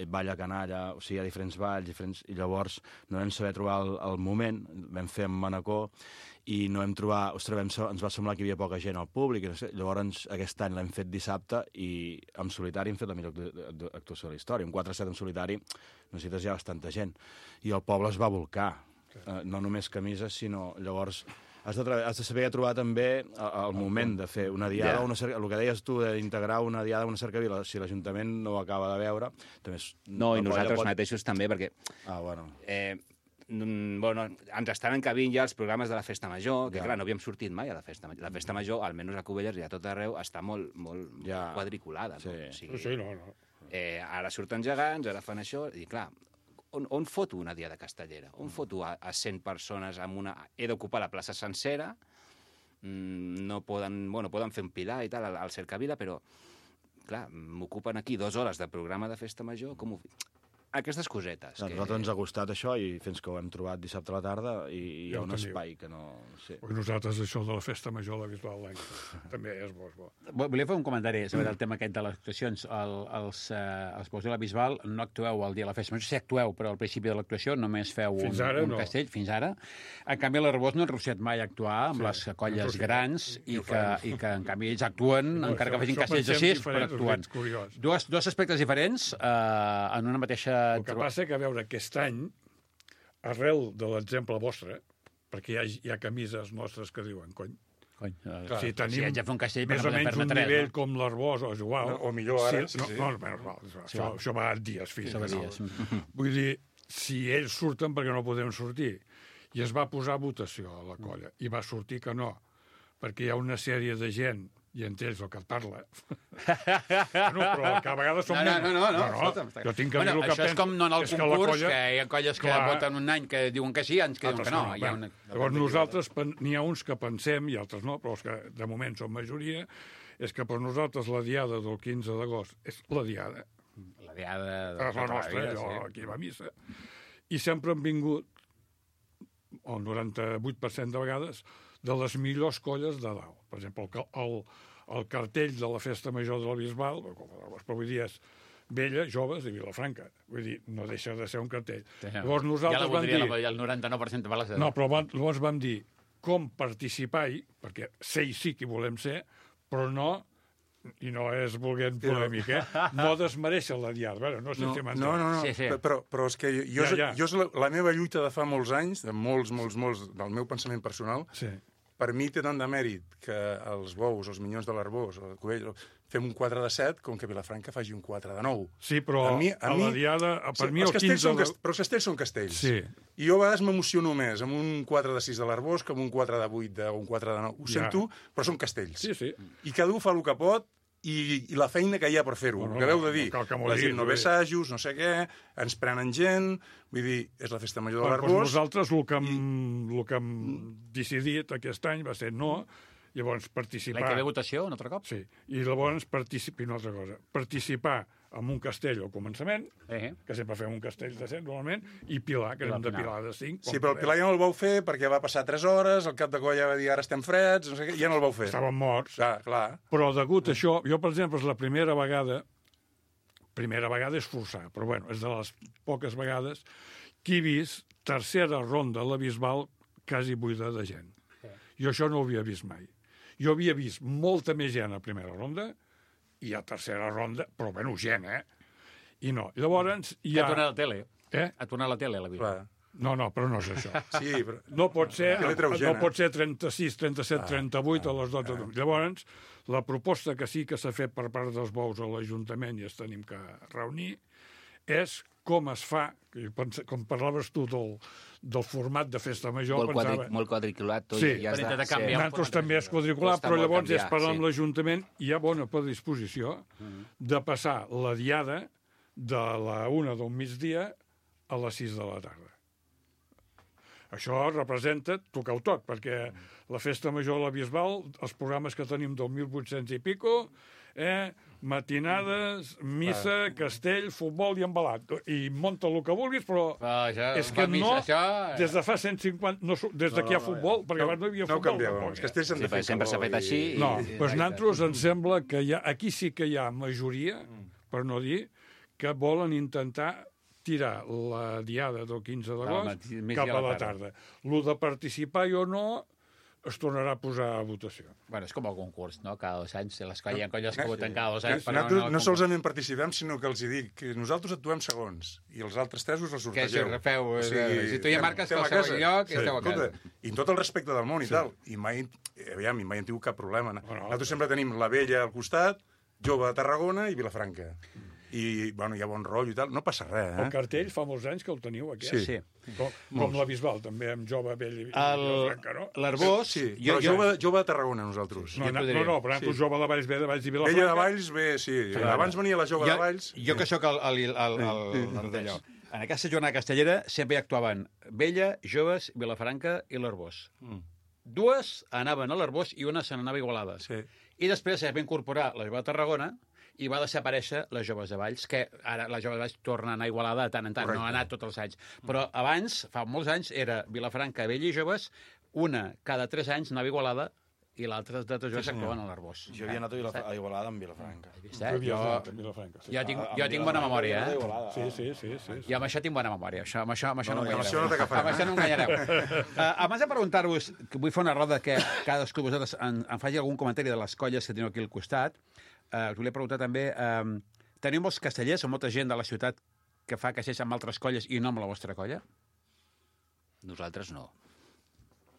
balla canalla, o sigui, hi ha diferents balls, diferents, i llavors no vam saber trobar el, el moment, vam fer amb Manacor, i no vam trobar, ostres, vam, ens va semblar que hi havia poca gent al públic, no sé, llavors aquest any l'hem fet dissabte i en solitari hem fet la millor actuació de la història. Un quatre set en solitari necessites ja bastanta gent. I el poble es va volcar, uh, no només camises, sinó llavors has de, has de saber trobar també el moment de fer una diada, yeah. una cerca, el que deies tu d'integrar una diada, una cercavila, si l'Ajuntament no ho acaba de veure, també és... No, i nosaltres pot... mateixos també, perquè... Ah, bueno... Eh, bueno, ens estan encabint ja els programes de la Festa Major, que ja. clar, no havíem sortit mai a la Festa Major. La Festa Major, almenys a Cubelles i a tot arreu, està molt, molt, ja. molt quadriculada. Sí. No? O sigui, sí, no, no. Eh, ara surten gegants, ara fan això, i clar, on, on foto una diada castellera? On foto a, a cent persones amb una... He d'ocupar la plaça sencera, mm, no poden... Bueno, poden fer un pilar i tal, al, al Cercavila, però, clar, m'ocupen aquí dues hores de programa de Festa Major, com ho... Aquestes cosetes. A que... nosaltres ens ha costat això i fins que ho hem trobat dissabte a la tarda i hi ha ja un teniu. espai que no... Sí. Perquè nosaltres això de la Festa Major de la Bisbal l'any també és bo, és bo. Volia fer un comentari sobre el tema aquest de les actuacions. El, els, eh, els Bous de la Bisbal no actueu el dia de la Festa Major, sí actueu, però al principi de l'actuació només feu un, ara, un no. castell, fins ara. En canvi, l'Arbós no han reussiat mai a actuar amb sí, les colles grans i que, i que, en canvi, ells actuen, no, encara això, que facin castells de sis, però actuen. Dos, dos aspectes diferents eh, en una mateixa... El que passa que, a veure, aquest any, arrel de l'exemple vostre, perquè hi ha, hi ha camises nostres que diuen, cony, Cony, uh, clar, si tenim si haig de fer un castell, més o menys un tres, nivell no? com l'Arbós, o és igual. No, o millor ara, sí, sí, no, sí. No, no, no, no, sí, això, això va a dies fins. Això va a dies. No. Vull dir, si ells surten perquè no podem sortir, i es va posar votació a la colla, i va sortir que no, perquè hi ha una sèrie de gent, i entre ells el que et parla. no, però que a vegades som... No, no, no, no, no, no, no. Jo tinc que bueno, dir el que això penso. És com no en el concurs, que, colla... que hi ha colles que Clar. voten un any que diuen que sí, anys que diuen que no. Hi ha una... Llavors nosaltres, n'hi ha uns que pensem, i altres no, però els que de moment són majoria, és que per nosaltres la diada del quinze d'agost és la diada. La diada de És la nostra, vida, allò, sí. aquí va a missa. I sempre han vingut, el noranta-vuit per cent de vegades, de les millors colles de dalt. Per exemple, el, el, el cartell de la Festa Major de la Bisbal, però vull dir, és Vella, Joves i Vilafranca. Vull dir, no deixa de ser un cartell. Sí, llavors nosaltres ja la vam dir... Ja el noranta-nou per cent de balas. No, però van, llavors vam dir com participar-hi, perquè ser i sí que volem ser, però no, i no és volent polèmic, eh? No desmereixer la diada. Veure, no sé no, si m'entens. no, no, no. Sí, sí. Però, però és que jo, Ja, ja. jo és la, la meva lluita de fa molts anys, de molts, molts, molts, del meu pensament personal, Sí. per mi té tant de mèrit que els Bous, els Minyons de l'Arbós, el Cubell, fem un quatre de set, com que Vilafranca faci un quatre de nou. Sí, però A a, mi- a a la mi- diada, per mi els el castells quinze... són de... cast... Però els castells són castells. Sí. I jo a vegades m'emociono més amb un quatre de sis de l'Arbós que amb un quatre de vuit o un quatre de nou. Ho Ja. sento, però són castells. Sí, sí. I cada un fa el que pot i, i la feina que hi ha per fer-ho. No, no, El que veu de no dir, cal que m'ho la diguis, gent no vull ve dir. assajos, no sé què, ens prenen gent, vull dir, és la festa major de Bueno, doncs l'Arbós. nosaltres el que, hem, el que hem decidit aquest any va ser no, llavors participar... L'any que ve votació, un altre cop? Sí, i llavors participar, una altra cosa, participar en un castell al començament, Eh. que sempre fem un castell de set normalment, i Pilar, que I hem al de final. Pilar de cinc. Sí, però el Pilar ja no el vau fer perquè va passar tres hores, el cap de colla va dir ara estem freds, no sé què, ja no el vau fer. Estàvem morts. Clar, clar. Però degut a això, jo, per exemple, és la primera vegada, primera vegada és forçar, però bueno, és de les poques vegades que he vist tercera ronda a la Bisbal quasi buida de gent. Jo això no ho havia vist mai. Jo havia vist molta més gent a primera ronda i a tercera ronda, però bueno, gent, eh? I no. Llavors hi Que ha... ha tornat a la tele. Eh? Ha tornat a la tele, la vida. clar. No, no, però no és això. Sí, però... No pot ser, Que li treu no gent, eh? pot ser trenta-sis, trenta-set, trenta-vuit a les dotze. Llavors, la proposta que sí que s'ha fet per part dels Bous a l'Ajuntament i es tenim que reunir és com es fa, que jo pense- com parlaves tu del, del format de festa major, Molt, quadri, pensava... molt quadriculat tot. Sí. i ja Per està. intentar Sí. canviar. Nosaltres també és quadricular, Costa però molt llavors és canviar, parlar sí. amb l'Ajuntament i hi ha bona predisposició de passar la diada de la una del migdia a les sis de la tarda. Això representa tocar-ho tot, perquè la festa major a la Bisbal, els programes que tenim del mil vuit-cents i pico, eh, matinades, missa, castell, futbol i embalat. I munta el que vulguis, però Però això, és que fa missa, no, això- des de fa cent cinquanta... No, su- des de que hi ha futbol, perquè abans no hi havia No ho futbol. canvieu, tampoc, els eh? castells s'han Sí, de fer perquè sempre s'ha calor fet així i- No, i- doncs nosaltres ens sembla que hi ha, aquí sí que hi ha majoria, per no dir, que volen intentar tirar la diada del quinze d'agost matí- mig cap i a la tarda. Lo de participar o no es tornarà a posar a votació. Bueno, és com el concurs, no? Cada dos anys, les colles, hi ha colles que voten cada dos Que anys. però nosaltres no, el no concurs. solament participem, sinó que els hi dic que nosaltres actuem segons i els altres tres us els Que sortegeu. si refeu, eh, si tu ja marques estem a qualsevol casa. lloc, esteu a casa. escolta, I amb tot el respecte del món i tal. I mai, aviam, i mai hem tingut cap problema. Nosaltres sempre tenim la Vella al costat, Jove de Tarragona i Vilafranca. I, bueno, hi ha bon rotllo i tal. No passa res, El eh? cartell fa molts anys que el teniu, aquest. Sí. Sí. Com, com la Bisbal, també, amb Jove, Vell i El- Vilafranca, no? L'Arbós... Sí, jo, però jo, jove, jove de Tarragona, nosaltres. No, jo no, podria- no, no, per exemple, sí. Jove de Valls ve de Valls i Vilafranca. Vella de Valls, bé, sí. Abans venia la Jove de Valls. Jo que sóc el, el, el, el, el d'allò. En aquesta jornada castellera sempre hi actuaven Vella, Joves, Vilafranca i l'Arbós. Mm. Dues anaven a l'Arbós i una se n'anava a Igualada. Sí. I després es va incorporar la Jove de Tarragona i va desaparèixer les Joves de Valls, que ara les Joves de Valls tornen a anar a Igualada de tant en tant, Correcte. no ha anat tots els anys. Però abans, fa molts anys, era Vilafranca, Vella i Joves, una cada tres anys anava a Igualada i l'altra de tots joves actuaven a l'Arbós. Jo havia anat a, Vilaf a Igualada amb Vilafranca. Vist, Tu eh? havies Jo, anat a Vilafranca, sí. jo tinc, A- jo amb tinc bona Vilafranca memòria, havia anat a eh? Igualada. Sí, sí, sí. sí, sí. I amb això tinc bona memòria. Això, amb això, amb això no, no, no, amb això no t'agafarà, Amb això no enganyareu. uh, abans de preguntar-vos, que vull fer una roda que cadascú de vosaltres en, en faci algun comentari de les colles que teniu aquí al costat, uh, us volia preguntar també, uh, teniu molts castellers o molta gent de la ciutat que fa castells amb altres colles i no amb la vostra colla? Nosaltres no.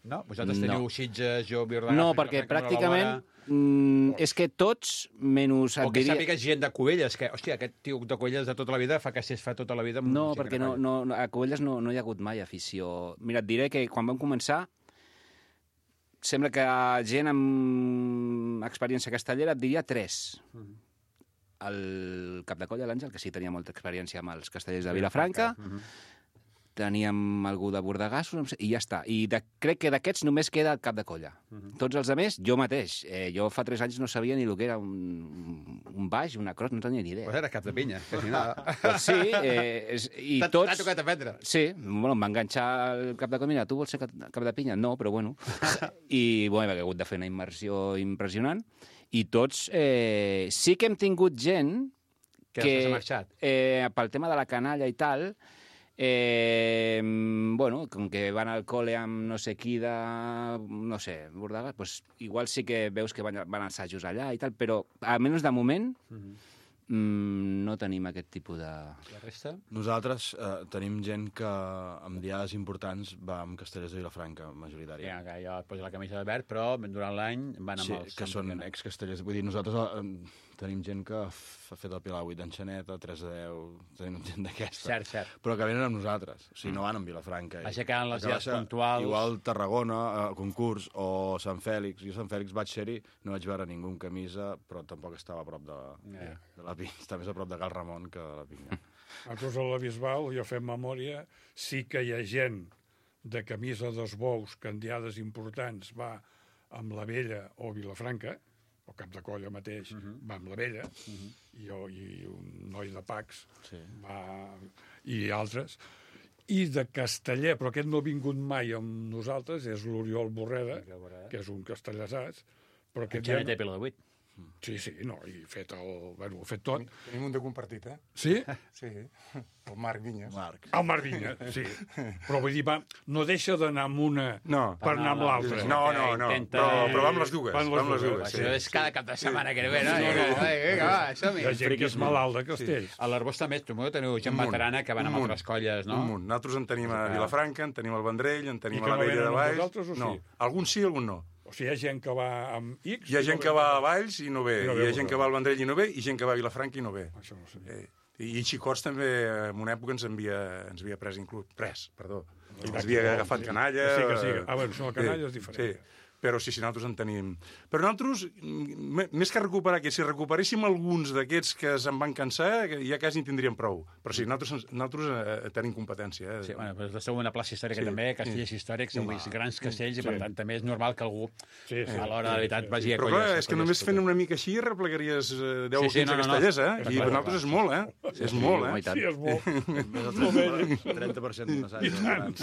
No? Vosaltres No. teniu Sitges, jo, Viordà... No, perquè pràcticament mm, és que tots, menys O et que diria... sàpigues gent de Cubelles, que, hòstia, aquest tio de Cubelles de tota la vida fa castells fa tota la vida... amb No, gent perquè que no, colla. no, no, a Cubelles no, no hi ha hagut mai afició. Mira, et diré que quan vam començar, sembla que gent amb experiència castellera et diria tres. El cap de colla, l'Àngel, que sí tenia molta experiència amb els castellers de Vilafranca, teníem algú de Bordegassos, em sé- i ja està. I de, crec que d'aquests només queda el cap de colla. Tots els altres, jo mateix. Eh, jo fa tres anys no sabia ni el que era un, un baix, una cross, no tenia ni idea. Pues era cap de pinya, que si no... Pues sí, eh, és, i T'ha tots... t'ha tocat aprendre. Sí, bueno, em va enganxar el cap de colla. Tu vols ser cap cap de pinya? No, però bueno. I bueno, he hagut de fer una immersió impressionant. I tots... Eh, sí que hem tingut gent Que que, després ha marxat. eh, pel tema de la canalla i tal, eh, bueno, com que van al col·le amb no sé qui de, no sé, Bordegas, pues igual sí que veus que van, van als assajos allà i tal, però almenys de moment mm, no tenim aquest tipus de... La resta? Nosaltres eh, tenim gent que amb diades importants va amb castellers de Vilafranca, majoritària. Ja, que jo et poso la camisa de verd, però durant l'any van amb Sí, els... que són excastellers. Vull dir, nosaltres eh, tenim gent que f- ha fet el Pilar vuit d'Enxaneta, tres de deu, tenim gent d'aquesta. Cert, cert. Però que venen amb nosaltres, o sigui, no van amb Vilafranca. Aixecant les Que va dies ser puntuals. Igual Tarragona, eh, concurs, o Sant Fèlix. Jo a Sant Fèlix vaig ser-hi, no vaig veure ningú amb camisa, però tampoc estava a prop de, Ja. de la pinya. Està més a prop de Cal Ramon que de la pinya. Nosaltres a la Bisbal, jo fem memòria, sí que hi ha gent de camisa dels bous, que en diades importants va amb la Vella o Vilafranca, o cap de colla mateix, uh -huh. va amb la Vella, uh -huh. i, jo, i un noi de Pacs, Sí. va, i altres. I de casteller, però aquest no ha vingut mai amb nosaltres, és l'Oriol Borreda, que és un castellasàs, però aquest Ja ja... té pelo de vuit. Sí, sí, no, i fet el... Bueno, ho ha fet tot. Tenim un de compartit, eh? Sí? Sí, el Marc Vinyes. Marc. El Marc Vinya, sí. Però vull dir, va, no deixa d'anar amb una No. per anar amb l'altra. No, no, no, Intenta- però, però va amb les dues. Va amb les Va amb les dues, dues, sí. Això és cada cap de setmana que ve, no? No, no. Vinga, va, som-hi. Hi ha gent que és malalt de castells. A l'Arbós també, tu teniu gent Un munt, veterana que van un amb munt, altres colles, no? Un munt. Nosaltres en tenim a Vilafranca, en tenim al Vendrell, en tenim I a que la no Vella venen de amb Valls. vosaltres, o sí? No, alguns sí, alguns no. O sigui, hi ha gent que va amb X... Hi ha i gent no que va a Valls i no ve, I no hi ve ha gent que va al Vendrell i no ve, i gent que va a Vilafranca i no ve. Això no ho sabia. Eh, I Xicots també, en una època, ens havia, ens havia pres inclús. Pres, perdó. Ens havia agafat canalla... Sí que sí. Ah, bueno, això, la canalla és diferent. Sí. Però sí, sí, nosaltres en tenim. Però nosaltres, més que recuperar, que si recuperéssim alguns d'aquests que se'n van cansar, ja quasi en tindríem prou. Però sí, nosaltres, nosaltres eh, tenim competència. Eh? Sí, bueno, però esteu una plaça històrica Sí, també, castells sí. històrics, amb Sí. grans castells, i Sí. per tant també és normal que algú, Sí, sí. a l'hora de la veritat, vagi a Però colles. clar, és que només fent una mica així replegaries eh, deu Sí, o sí, quinze no, no, no. castellers, eh? Està I clar, per nosaltres és molt, eh? És molt, home, eh? i tant. Sí, és molt. Més del trenta per cent d'un assaig.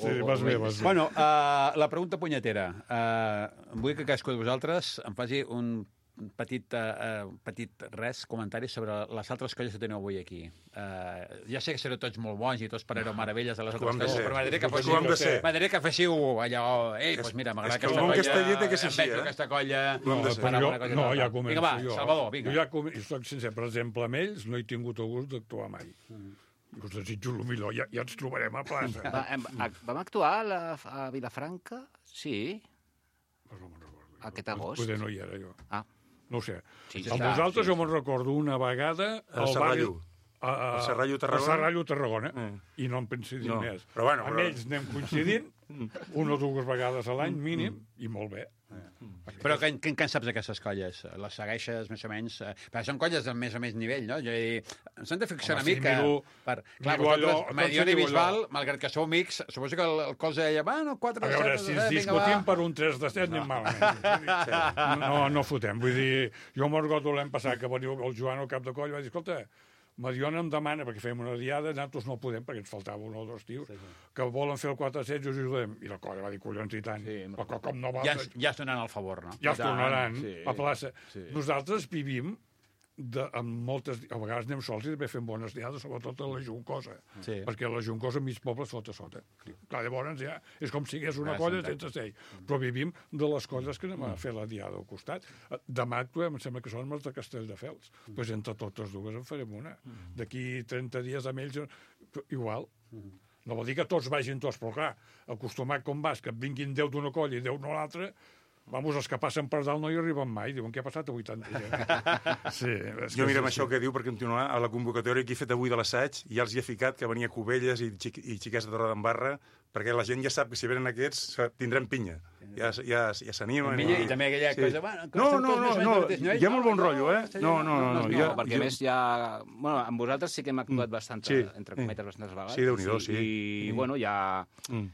Sí, vas bé, vas bé. Bueno, uh, la pregunta punyetera. Uh, vull que cadascú de vosaltres em faci un petit, uh, petit res, comentari sobre les altres colles que teniu avui aquí. Uh, ja sé que sereu tots molt bons i tots parlareu meravelles de les Ho altres hem de colles, ser. però m'agradaria que Ho féssiu, hem de ser. m'agradaria que féssiu allò... Ei, doncs mira, m'agrada és que el aquesta món colla, casteller té que ser em així, veig eh? aquesta colla... Ho hem de ser. fan jo, alguna cosa no, altra. ja començo Vinga, va, jo. Salvador, vinga. Jo ja com... jo soc sincer, per exemple, amb ells no he tingut el gust d'actuar mai. Mm. Us desitjo el millor, ja, ja ens trobarem a plaça. Va, em, a, vam actuar a, la, a Vilafranca? Sí, Però no me'n recordo. aquest agost. Poder no hi era, jo. Ah, No ho sé. Sí, Amb està, vosaltres sí, jo me'n recordo una vegada A al barri... Serrallo. A, a, A Serrallo, Tarragona. A Serrallo, Tarragona. Eh. I no en pensi dir No, més. però bueno, Amb però- ells anem coincidint una o dues vegades a l'any mínim i molt bé. Però què, què en saps d'aquestes colles? Les segueixes més o menys? Eh, Perquè són colles del més o menys nivell, no? Jo he dit, ens hem de fixar Home, una sí, mica... miro- per... Clar, miro allò, vosaltres, Mediona i diu allò. Bisbal, malgrat que sou amics, suposo que el, el cos deia, bueno, quatre A de veure, set, si eh, ens vinga, discutim va. per un tres de set anem malament. No, no fotem. Vull dir, jo me'n recordo l'any passat que veniu el Joan al cap de coll i va dir, escolta, Mediona em demana, perquè fèiem una diada, nosaltres no podem, perquè ens faltava un o dos tios, sí, sí. que volen fer el quatre set i us ajudem. I la colla va dir, collons i tant. Sí, Però com- com no va... Ja, es- ja es donaran el favor, no? ja es tornaran sí, a plaça. sí. Nosaltres vivim de, amb moltes... A vegades anem sols i també fem bones diades, sobretot a la Juncosa. Sí. Perquè la Juncosa mig poble sota sota. Clar, llavors ja és com si hagués una Ja, colla s'entén. sense sell. Però vivim de les colles que anem a fer la diada al costat. Demà actuem, em sembla que són els de Castelldefels. Doncs pues entre totes dues en farem una. D'aquí trenta dies amb ells, igual. No vol dir que tots vagin tots, però clar, acostumat com vas, que et vinguin deu d'una colla i deu d'una altra, vamos, els que passen per dalt no hi arriben mai. Diuen, què ha passat a vuitanta gent? Sí, és Jo que mirem sí, això que diu per continuar a la convocatòria que he fet avui de l'assaig, ja els hi he ficat que venia Cubelles i, xic, i xiquets de Torredembarra, perquè la gent ja sap que si venen aquests tindrem pinya. Ja, ja, ja s'animen. I, I també aquella cosa... Bueno, que No, estem no, tots no, més o menys no, al mateix nivell. hi ha molt bon rotllo, eh? No, no, no. no, no, no, ja, perquè a més ja... Bueno, amb vosaltres sí que hem actuat bastant, Sí. entre cometes, bastantes vegades. Sí, Déu-n'hi-do, sí. I, bueno, ja... Mm.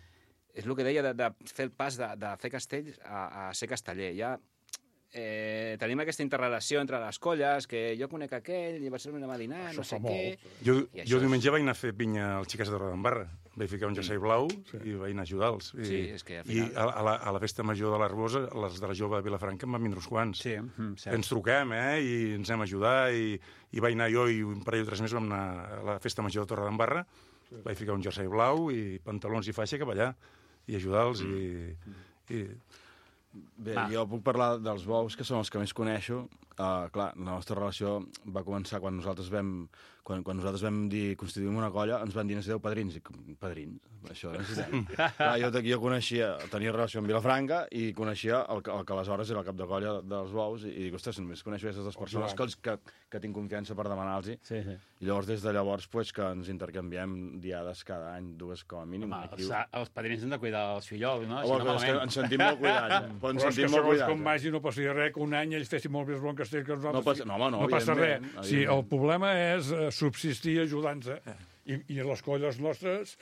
És el que deia de, de fer el pas de, de fer castells a, a ser casteller. Ja eh, tenim aquesta interrelació entre les colles, que jo conec aquell, i va ser una dinar, Això no sé fa què... molt. Jo, I això jo és- diumenge vaig anar a fer pinya als xiquets de Torredembarra. Vaig ficar un jersei blau i vaig anar a ajudar-los. I, Sí, és que al I final- a, a, la, a la festa major de l'Arbosa, les de la jove de Vilafranca en van vindre uns quants. Sí, mm, cert. Ens truquem, eh, i ens anem a ajudar, i, i vaig anar jo i un parell o tres més vam anar a la festa major de Torredembarra, sí. Vaig ficar un jersei blau i pantalons i faixa cap allà, i ajudar-los, mm. i, i... Bé, Va. jo puc parlar dels bous, que són els que més coneixo. Uh, clar, la nostra relació va començar quan nosaltres vam, quan, quan nosaltres vam dir constituïm una colla, ens van dir necessiteu padrins. I com, padrins? Això necessitem. Clar, jo, jo coneixia, tenia relació amb Vilafranca i coneixia el, que- el que aleshores era el cap de colla dels bous i, i dic, ostres, només coneixo aquestes dues persones que, els- que, que tinc confiança per demanar-los. Sí, sí. I llavors, des de llavors, pues, que ens intercanviem diades cada any, dues com a mínim. Home, Aquí- els, els padrins han de cuidar els fillols, no? Oh, Si no, bueno, és que malament. ens sentim molt cuidats. Eh? Però ens Però és que sentim molt segons cuidats. com vagi no passaria res, que un any ells fessin molt més bon castell que nosaltres. No passa- no, home, no, no passa res. evidentment, Sí, el evidentment. problema és eh, subsistir ajudant-se. I, I les colles nostres...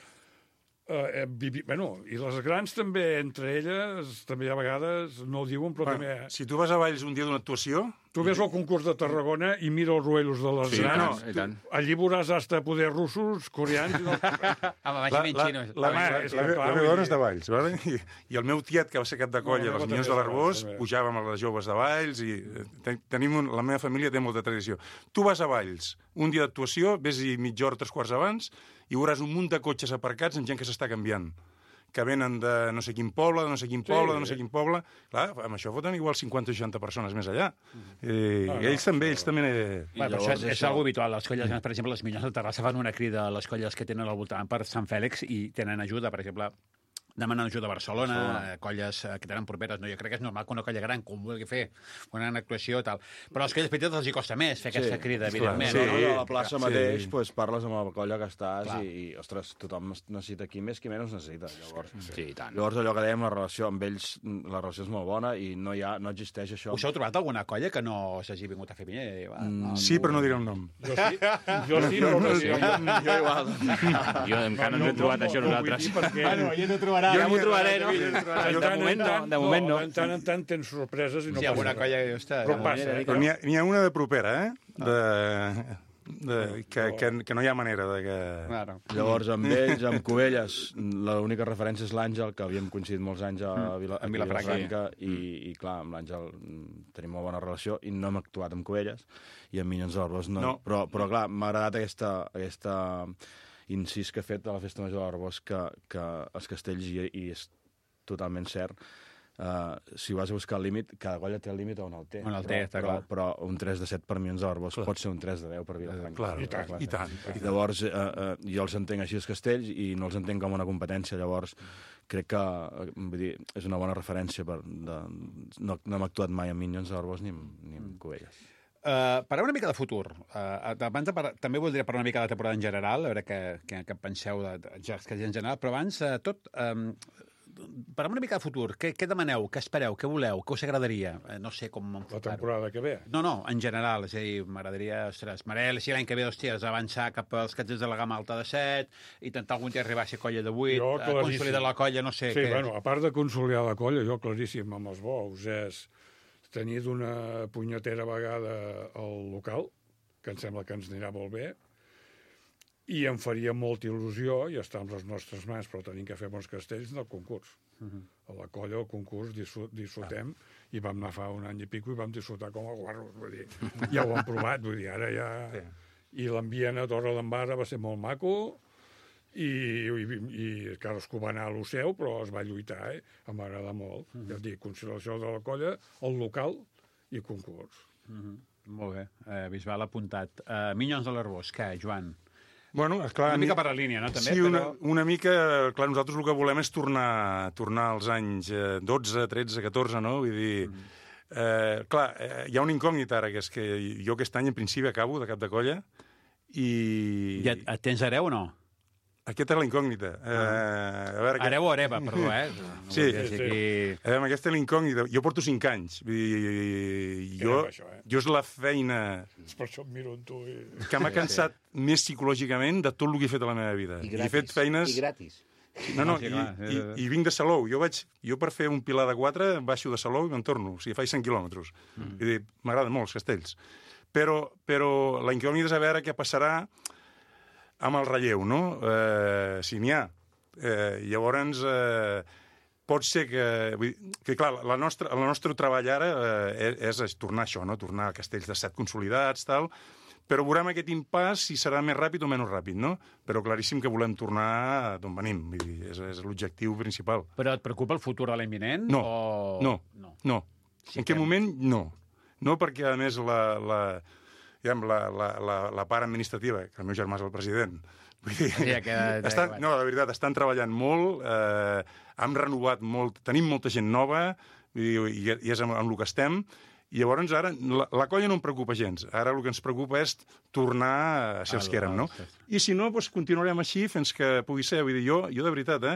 Eh, vivi... bueno, i les grans també, entre elles, també a vegades no ho diuen, però Bueno, també... si tu vas a Valls un dia d'una actuació, Tu ves el concurs de Tarragona i mira els ruelos de les Sí, grans. no, i tant. Allí veuràs hasta poder russos, coreans... I no... Home, vagi la, menys la, xinos. la, Home, la, és la, que, la, clar, la vull meva dona dir- és de Valls, vale? I, i el meu tiet, que va ser cap de colla No, a la les meva Minyons també de és de l'Arbós, Valls, també. pujàvem amb les joves de Valls i eh, ten, tenim un, la meva família té molta tradició. Tu vas a Valls, un dia d'actuació, vés-hi mitja hora, tres quarts abans, i veuràs un munt de cotxes aparcats amb gent que s'està canviant, que venen de no sé quin poble, de no sé quin poble, Sí. de no sé quin poble. Clar, amb això foten igual cinquanta o seixanta persones més allà. I, no, i ells també, ells també... Eh... Bueno, però això llavors és, és això- algo habitual. Les colles grans, per exemple, les Minyons de Terrassa fan una crida a les colles que tenen al voltant per Sant Fèlix i tenen ajuda, per exemple, demanant ajuda a Barcelona, Barcelona. colles que tenen properes. No, jo crec que és normal que una colla gran, com vulgui fer una gran actuació i tal. Però als colles petites els hi costa més fer aquesta sí, crida, evidentment. Sí, no? sí, a la plaça sí. mateix pues, parles amb la colla que estàs Clar. i, i, ostres, tothom necessita qui més, qui menys necessita. Llavors, Sí, i tant. llavors allò que dèiem, la relació amb ells, la relació és molt bona i no, hi ha, no existeix això. Us heu trobat alguna colla que no s'hagi vingut a fer pinya? Va, no, Sí, però no diré el nom. Jo sí, jo sí, però no sé. Jo igual. Jo encara no, no hem trobat això nosaltres. Bueno, ja no trobarà. Ja m'ho trobaré, no? De moment no, de moment no. De tant en tant tens sorpreses i no Sí, passa alguna res. colla que està... Però passa, eh? Però n'hi ha, n'hi ha una de propera, eh? De, de, que, que, que no hi ha manera de que... Claro. Llavors, amb ells, amb Cubelles, l'única referència és l'Àngel, que havíem coincidit molts anys a, Vila, a Vilafranca, i, i clar, amb l'Àngel tenim molt bona relació, i no hem actuat amb Cubelles, i amb Minyons de l'Arbós no. No. Però, però clar, m'ha agradat aquesta, aquesta incís que ha fet a la Festa Major de l'Arbós, que, que els castells, i, i és totalment cert, Uh, si vas a buscar el límit, cada colla té el límit on el té. On el té, però, està però, clar. però un tres de set per Minyons de l'Arbós pot ser un tres de deu per Vilafranca. Clar, I tant, i tant. I tant. Llavors, eh, eh, jo els entenc així els castells i no els entenc com una competència. Llavors, crec que eh, vull dir, és una bona referència. Per, de, no, no hem actuat mai amb Minyons de l'Arbós ni, amb- ni amb Cubelles. Uh, parlem una mica de futur. Uh, abans de parlar, també voldria parlar una mica de la temporada en general, a veure què, què, què penseu de, de, de, de en general, però abans uh, tot... Um, parlem una mica de futur. Què, què demaneu? Què espereu? Què voleu? Què us agradaria? Eh, no sé com La enfocar-ho. temporada que ve. No, no, en general. És a dir, m'agradaria, ostres, m'agradaria si l'any que ve, hòsties, avançar cap als castells de la gamma alta de set, intentar algun dia arribar a ser colla de vuit, Jo, eh, claríssim. consolidar la colla, no sé Sí, què. bueno, a part de consolidar la colla, jo claríssim amb els bous és tenir d'una punyetera vegada el local, que em sembla que ens anirà molt bé, i em faria molta il·lusió, i està amb les nostres mans, però tenim que fer bons castells del concurs. Uh -huh. A la colla, al concurs, disfrut, disfrutem, ah. i vam anar fa un any i pico i vam disfrutar com a guarros, vull dir, ja ho hem provat, vull dir, ara ja... Sí. I l'ambient a Torre d'Embarra va ser molt maco, i, i, i cadascú va anar a lo seu, però es va lluitar, eh? Em va agradar molt. Uh -huh. Ja et dic, consideració de la colla, el local i concurs. Uh -huh. Molt bé. Eh, Bisbal apuntat. Uh, Minyons de l'Arbós, què, Joan? Bueno, esclar, Una mica per la línia, no? També, sí, una, però... una mica... Clar, nosaltres el que volem és tornar, tornar als anys eh, dotze, tretze, catorze, no? Vull dir... Mm. Eh, clar, eh, hi ha una incògnita ara, que és que jo aquest any, en principi, acabo de cap de colla, i... Ja et tens hereu o no? Aquesta era la incògnita. Eh, a veure, que... Hereu o hereva, perdó, eh? No Sí, volia dir sí. aquí... A veure, aquesta és la incògnita. Jo porto cinc anys. Vull dir, jo, Era això, eh? jo és la feina És per això em miro amb tu i... que m'ha cansat més psicològicament de tot el que he fet a la meva vida. I he gratis. fet feines... I gratis. No, no, Sí, i, clar. i, i vinc de Salou. Jo, vaig, jo per fer un pilar de quatre baixo de Salou i me'n torno. O sigui, faig cent quilòmetres. Mm. Vull dir, m'agraden molt els castells. Però, però la incògnita és a veure què passarà amb el relleu, no? Eh, si n'hi ha. Eh, llavors, eh, pot ser que... Vull dir, que clar, la nostra, el nostre treball ara eh, és, és tornar a això, no? Tornar a castells de set consolidats, tal... Però veurem aquest impàs si serà més ràpid o menys ràpid, no? Però claríssim que volem tornar d'on venim. Vull dir, és, és l'objectiu principal. Però et preocupa el futur de l'imminent? No, o... no, no. no. Sí en que- aquest moment, no. No perquè, a més, la, la, diguem, la, la, la, la part administrativa, que el meu germà és el president, vull dir, Sí, ja queda- ja estan, queda. no, de veritat, estan treballant molt, eh, hem renovat molt, tenim molta gent nova, vull dir, i, i és amb, amb el que estem, i llavors ara la, la colla no em preocupa gens. Ara el que ens preocupa és tornar a ser els Al- que érem, no? als- I si no, doncs continuarem així fins que pugui ser. Vull dir, jo, jo de veritat, eh?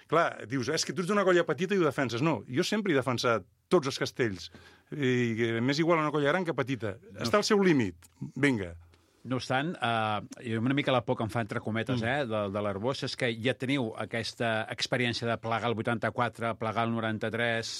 Clar, dius, és que tu ets d'una colla petita i ho defenses. No, jo sempre he defensat tots els castells. I que m'és igual una colla gran que petita. Està al seu límit. Vinga. No obstant, eh, una mica la por que em fa, entre cometes, eh, de, de l'Arbós, és que ja teniu aquesta experiència de plegar el vuitanta-quatre, plegar el noranta-tres,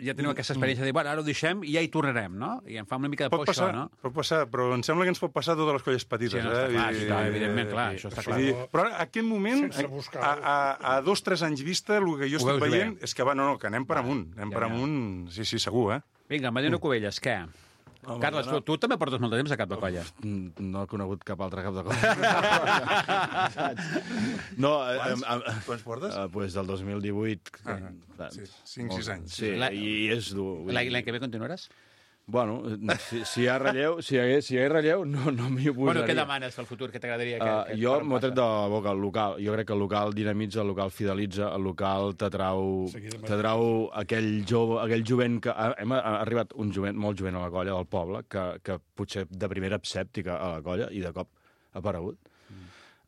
ja teniu aquesta experiència de dir, bueno, ara ho deixem i ja hi tornarem, no? I em fa una mica de por Pot passar, això, no? pot passar, però em sembla que ens pot passar a totes les colles petites. Sí, no, està eh? clar, I- sí, clar, evidentment, clar, això està Vull clar. dir, però ara, a aquest moment, Sense a, buscar-ho. a, a, a dos, tres anys vista, el que jo Ho estic veus veient bé. és que va, no, no, que anem per amunt. Anem ja, per ja. amunt, sí, sí, segur, eh? Vinga, Mariano Cubelles, què? Home, Carles, tu, no. tu també portes molt de temps a cap de colla. Mm, No he conegut cap altre cap de colla. no, eh, Quants? eh, eh, Quants portes? Eh, pues del dos mil divuit. Ah, eh, sí, cinc, molt- sis anys. Sí, La- i és dur. vull L'any dir- l'any que ve continuaràs? Bueno, si, si hi ha relleu, si hi hagués, si hi hagués relleu, no, no m'hi oposaria. Bueno, què demanes pel futur? Què t'agradaria? Que, Uh, que jo et m'ho he tret passa? de la boca, el local. Jo crec que el local dinamitza, el local fidelitza, el local t'atrau t'atrau aquell jove, aquell jovent que... Ha, hem ha arribat un jovent, molt jovent a la colla del poble, que, que potser de primera escèptica a la colla i de cop ha aparegut.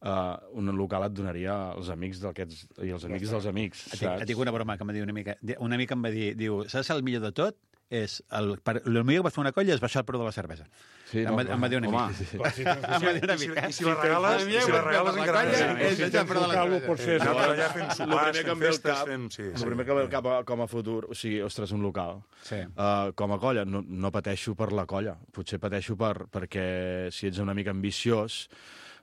Uh, un local et donaria els amics d'aquests i els amics dels amics, Et dic, saps? et dic una broma que em va dir una mica. Una mica em va dir, diu, saps el millor de tot? És el, per, el millor que vas fer una colla és baixar el preu de la cervesa. Sí, em, va, em va dir una home, mica. Clar, si Em va dir una I si, mica. i si la regales, i si la regales encara colla més. és baixar el preu de la Local, cervesa. potser és Anar a el- treballar fent El sopars, primer que fent em ve al festes, cap, fem... Sí, el sí. primer que em ve al cap a- com a futur, o sigui, ostres, un local. Sí. Uh, com a colla, no, no pateixo per la colla. Potser pateixo per, perquè si ets una mica ambiciós,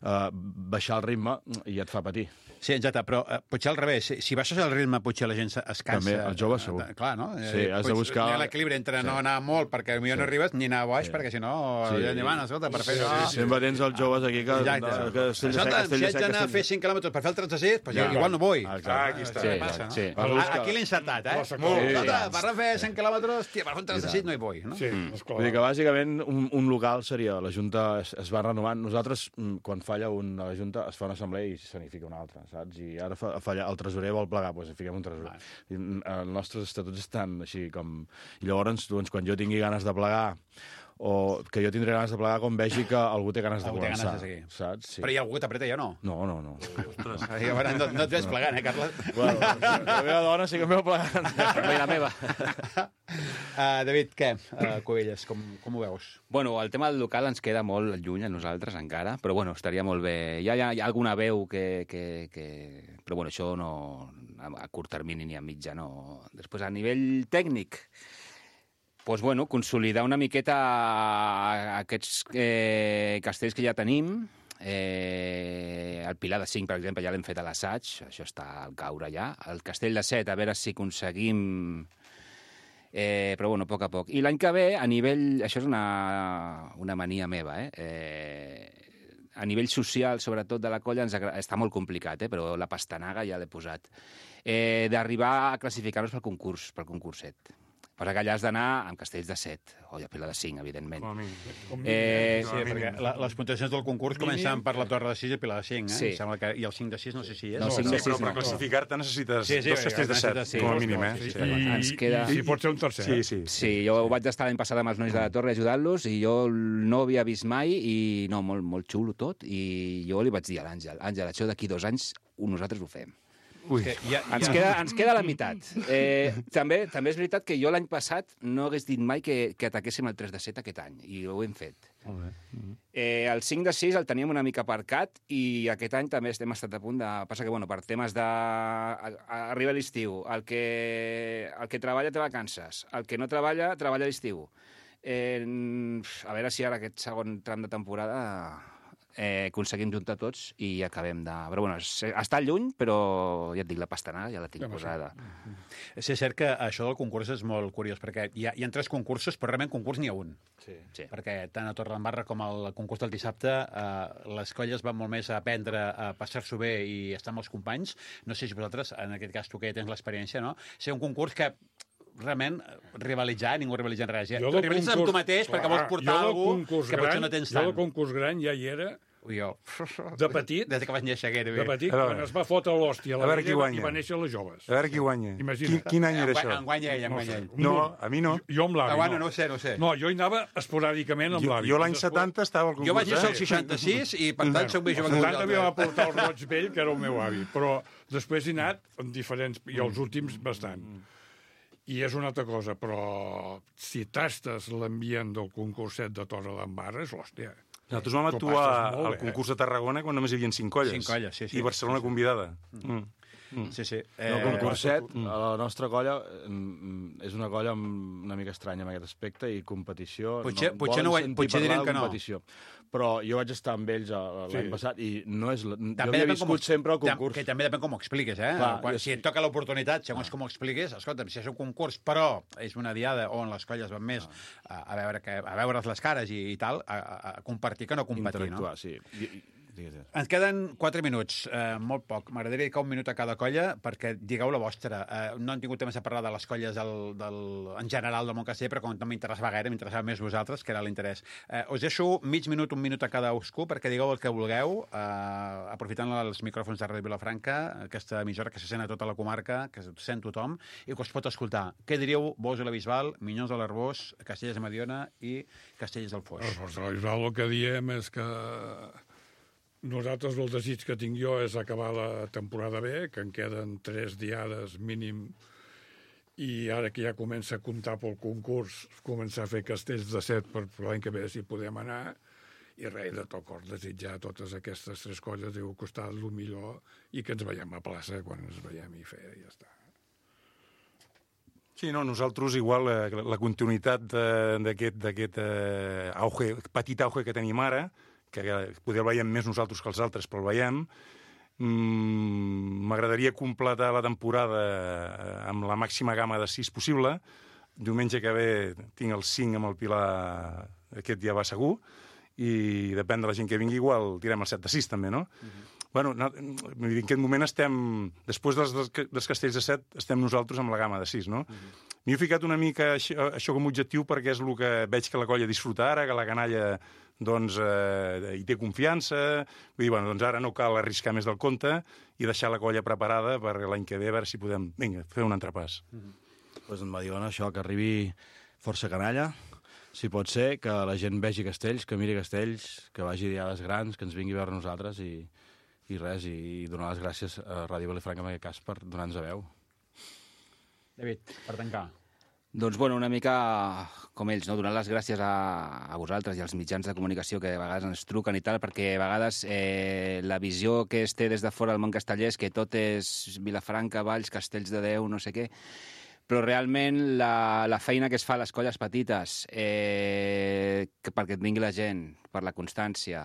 uh, baixar el ritme i et fa patir. Sí, exacte, però uh, potser al revés. Si, si baixes el ritme, potser la gent se- es cansa. També, els joves segur. Uh, clar, no? Sí, has de Potser buscar- hi ha l'equilibri entre Sí. no anar molt, perquè potser no arribes, ni anar boix, Sí. perquè si no... Sí. Ja ni van, escolta, per fer Sí, això... sí, sempre tens els joves aquí que... Exacte. que, que Castelldefels, Escolta, si Castelldefels, haig d'anar a fer Castelldefels. cinc quilòmetres per fer el trenta sis, doncs Ja. igual no vull. Exacte. Ah, aquí està. Sí, Sí, passa, no? sí. Ah, buscar- aquí l'he encertat, eh? La seqüència. Sí, Escolta, sí. per fer cent quilòmetres, tia, per fer un trenta sis no hi vull, no? Sí, Mm. esclar. Vull dir que bàsicament un, un local seria... La Junta es, es va renovant. Nosaltres, mm, quan falla un a la Junta, es fa una assemblea i se n'hi fica una altra, saps? I ara fa, falla, el tresorer vol plegar, doncs hi fiquem un tresorer. I, mm, els nostres estatuts estan així com... I llavors, doncs, quan jo tingui ganes de plegar, o que jo tindré ganes de plegar quan vegi que algú té ganes de Algú té ganes començar, de seguir. saps? Sí. Però hi ha algú que t'apreta i jo no. No, no, no. I a veure, no, no et ves plegant, eh, Carles? Bueno, la meva dona sí que em veu plegant. També la meva. Uh, David, què? Uh, Covelles, com, com ho veus? Bueno, el tema del local ens queda molt lluny a nosaltres encara, però bueno, estaria molt bé. Hi ha, hi ha, hi ha alguna veu que, que, que... Però bueno, això no... A, a curt termini ni a mitjà, no. Després, a nivell tècnic, doncs bueno, consolidar una miqueta aquests eh, castells que ja tenim. Eh, el Pilar de cinc, per exemple, ja l'hem fet a l'assaig, això està al caure ja. El castell de set, a veure si aconseguim... Eh, però bueno, a poc a poc. I l'any que ve, a nivell... Això és una, una mania meva, eh? eh? A nivell social, sobretot de la colla, ens agra... està molt complicat, eh? Però la pastanaga ja l'he posat. Eh, D'arribar a classificar-nos pel concurs, pel concurset. Però que allà has d'anar amb castells de set, o de Pilar de cinc, evidentment. Com a mínim. Eh, Sí, perquè la, les puntuacions del concurs comencen per la Torre de sis i Pilar de cinc, eh? Sí. Em sembla que, I el cinc de sis no sé si és. No, o- cinc de Sí, però sis per no. classificar-te necessites Sí, sí, dos castells de set, necessites- sí. com a mínim, eh? Sí, Sí. I, Ens queda- i si pot ser un tercer. Sí, sí. Sí, jo vaig estar l'any passat amb els nois de la Torre ajudant-los i jo no havia vist mai i no, molt, molt xulo tot i jo li vaig dir a l'Àngel, Àngel, això d'aquí dos anys nosaltres ho fem. Ui. Que hi ha, hi Ens ha... queda, ens queda la meitat. Eh, també, també és veritat que jo l'any passat no hagués dit mai que, que ataquéssim el tres de set aquest any, i ho hem fet. Molt bé. Eh, el cinc de sis el teníem una mica aparcat i aquest any també estem estat a punt de... Passa que, bueno, per temes de... a- a- Arriba l'estiu, el que, el que treballa té vacances, el que no treballa, treballa a l'estiu. Eh, a veure si ara aquest segon tram de temporada eh, aconseguim juntar tots i acabem de... Però bueno, es- està lluny, però ja et dic, la pastanaga ja la tinc Home, sí. posada. Sí, és cert que això del concurs és molt curiós, perquè hi ha, hi ha tres concursos, però realment concurs n'hi ha un. Sí. Sí. Perquè tant a Torredembarra com al concurs del dissabte eh, les colles van molt més a aprendre a passar-s'ho bé i estar amb els companys. No sé si vosaltres, en aquest cas tu que ja tens l'experiència, no? Ser un concurs que realment rivalitzar, ningú rivalitza en res. Ja, Jo tu del rivalitzes amb tu concurs- mateix perquè clar, vols portar jo del algú concurs que potser gran- no tens Jo tant. del concurs gran ja hi era, Jo, de petit, des que vaig néixer gairebé. de petit, A veure. quan es va fotre l'hòstia a la A veure qui vella guanya. i va néixer les joves. A veure qui guanya. Imagina't. Quin, quin any era En, això? en guanya ell, en No guanya sé. ell. No, a mi no. Jo, jo amb l'avi, Ah, bueno, no. no ho sé, no ho sé. No, jo hi anava esporàdicament amb Jo, l'avi. jo l'any I després- setanta estava al concurs. Jo vaig néixer al eh? seixanta-sis i, per tant, soc més jove que setanta havia de vosaltres. portar el roig vell, que era el meu avi, però després he anat amb diferents, i els últims bastant. I és una altra cosa, però si tastes l'ambient del concurset de Torredembarra, és l'hòstia. Nosaltres vam T'ho actuar passes molt al bé, eh? concurs de Tarragona quan només hi havia cinc colles. Cinc colles, sí, sí. I Barcelona convidada. Mm. Sí, sí. El Eh, concurset, a la nostra colla, mm, és una colla amb- una mica estranya en aquest aspecte i competició... Potser- potser no ho- volen sentir potser parlar direm de que no. competició. Però jo vaig estar amb ells a- l'any Sí. passat i no és... la- Jo també havia depèn com ho- viscut sempre el tam- concurs. Que també depèn com ho expliques, eh? Clar, Quan, jo si sí. et toca l'oportunitat, segons com ho expliques, escolta'm, si és un concurs, però és una diada on les colles van més a, a veure que, a veure's les cares i, i tal, a, a, a compartir que no competir, no? Interactuar, sí. I, i, Digues, digues. Ens queden quatre minuts, eh, molt poc. M'agradaria dedicar un minut a cada colla perquè digueu la vostra. Eh, no hem tingut temps de parlar de les colles del, del, en general del Montcasteller, però com no m'interessava gaire, m'interessava més vosaltres, que era l'interès. Eh, us deixo mig minut, un minut a cada cadascú perquè digueu el que vulgueu, eh, aprofitant els micròfons de Ràdio Vilafranca, aquesta emissora que se sent a tota la comarca, que se sent tothom, i que us pot escoltar. Què diríeu vos i la Bisbal, Minyons de l'Arbós, Castellers de Mediona i Castellers del Foix? Doncs la Bisbal el que diem és que nosaltres el desig que tinc jo és acabar la temporada bé, que en queden tres diades mínim, i ara que ja comença a comptar pel concurs, començar a fer castells de set per l'any que ve si podem anar, i res, de tot cor, desitjar a totes aquestes tres colles deu costar el millor i que ens veiem a plaça quan ens veiem i fer, i ja està. Sí, no, nosaltres igual eh, la continuïtat d'aquest eh, auge, petit auge que tenim ara, que poder el veiem més nosaltres que els altres, però el veiem. M'agradaria mm, completar la temporada amb la màxima gamma de sis possible. Diumenge que ve tinc el cinc amb el Pilar, aquest ja va segur, i depèn de la gent que vingui, igual tirem el set de sis també, no? Uh-huh. Bueno, no, en aquest moment estem, després dels, dels castells de set, estem nosaltres amb la gamma de sis, no? Uh-huh. M'hi he ficat una mica això, això com a objectiu perquè és el que veig que la colla disfruta ara, que la canalla doncs, eh, hi té confiança. Vull dir, bueno, doncs ara no cal arriscar més del compte i deixar la colla preparada per l'any que ve, a veure si podem, vinga, fer un entrepàs. Mm-hmm. Pues en Mediona, això, que arribi força canalla, si pot ser, que la gent vegi castells, que miri castells, que vagi a diades grans, que ens vingui a veure nosaltres i, i res, i donar les gràcies a Ràdio Vilafranca en aquest cas per donar-nos a veu. David, per tancar. Doncs, bueno, una mica com ells, no? Donar les gràcies a, a vosaltres i als mitjans de comunicació que a vegades ens truquen i tal, perquè a vegades eh, la visió que es té des de fora del món casteller és que tot és Vilafranca, Valls, Castells de Déu, no sé què, però realment la, la feina que es fa a les colles petites eh, que perquè et vingui la gent, per la constància,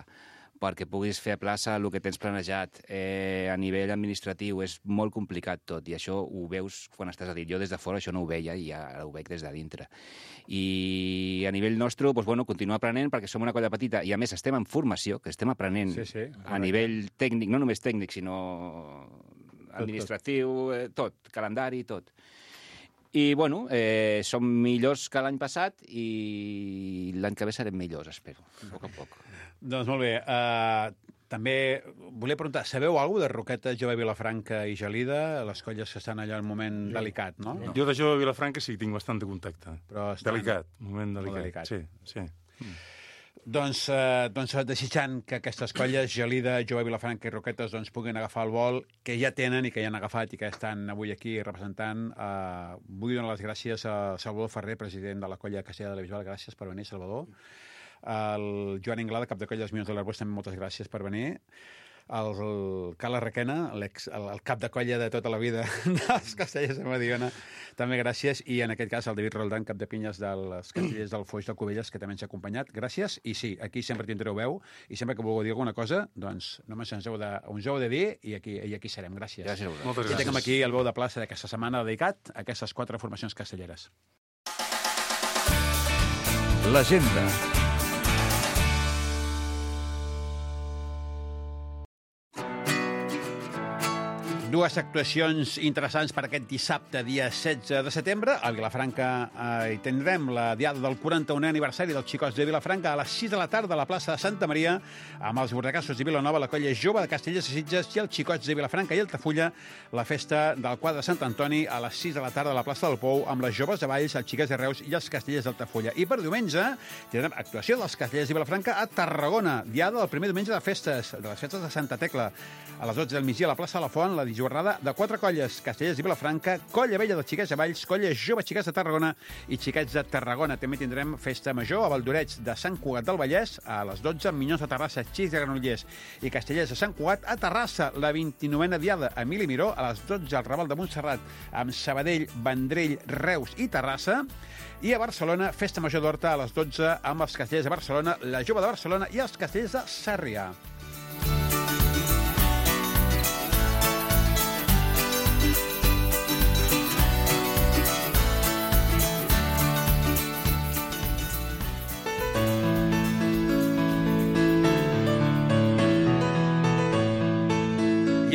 perquè puguis fer a plaça el que tens planejat. Eh, a nivell administratiu és molt complicat tot, i això ho veus quan estàs a dir. Jo des de fora això no ho veia i ara ho veig des de dintre. I a nivell nostre, doncs, bueno, continuar aprenent perquè som una colla petita i a més estem en formació, que estem aprenent sí, sí, a nivell tècnic, no només tècnic, sinó administratiu, tot, tot. tot calendari, tot. I, bueno, eh, som millors que l'any passat i l'any que ve serem millors, espero, a poc a poc. Doncs molt bé. Uh, també volia preguntar, sabeu alguna cosa de Roquetes, Jove, Vilafranca i Gelida, les colles que estan allà en un moment jo, delicat, no? Jo de Jove Vilafranca sí que tinc bastant de contacte. Però estan... Delicat, un moment delicat. delicat. Sí, sí. Mm. Doncs, eh, doncs desitjant que aquestes colles, Gelida, Jove, Vilafranca i Roquetes, doncs, puguin agafar el vol que ja tenen i que ja han agafat i que estan avui aquí representant. Eh, vull donar les gràcies a Salvador Ferrer, president de la colla Castellera de la Bisbal. Gràcies per venir, Salvador. El Joan Inglada, cap de colla dels Minyons de l'Arbós, també moltes gràcies per venir. El, el Carles Requena, el, el cap de colla de tota la vida dels Castellers de Mediona, també gràcies. I en aquest cas el David Roldán, cap de pinyes dels Castellers del Foix de Cubelles, que també ens ha acompanyat. Gràcies. I sí, aquí sempre tindreu veu i sempre que vulgueu dir alguna cosa, doncs només ens heu de, uns heu de dir i aquí, i aquí serem. Gràcies. Gràcies a vosaltres. Moltes gràcies. I gràcies. tenim aquí el veu de plaça d'aquesta setmana dedicat a aquestes quatre formacions castelleres. L'agenda. Dues actuacions interessants per aquest dissabte, dia setze de setembre. A Vilafranca eh, hi tindrem la diada del quaranta-unè aniversari dels Xicots de Vilafranca a les sis de la tarda a la plaça de Santa Maria, amb els Bordacassos de Vilanova, la colla jove de Castellers de Sitges i els Xicots de Vilafranca i Altafulla, la festa del quadre de Sant Antoni a les sis de la tarda a la plaça del Pou, amb les joves de Valls, els Xiquets de Reus i els Castellers d'Altafulla. I per diumenge tindrem actuació dels Castellers de Vilafranca a Tarragona, diada del primer diumenge de festes, de les festes de Santa Tecla, a les dotze del migdia a la plaça de la Font, la jornada de quatre colles, Castellers i Vilafranca, Colla Vella dels Xiquets de Valls, Colla Jove Xiquets de Tarragona i Xiquets de Tarragona. També tindrem festa major a Valdoreig de Sant Cugat del Vallès a les dotze, Minyons de Terrassa, Xics de Granollers i Castellers de Sant Cugat. A Terrassa, la vint-i-novena diada a Emili Miró, a les dotze al Raval de Montserrat amb Sabadell, Vendrell, Reus i Terrassa. I a Barcelona, festa major d'Horta a les dotze amb els Castellers de Barcelona, la Jove de Barcelona i els Castellers de Sarrià.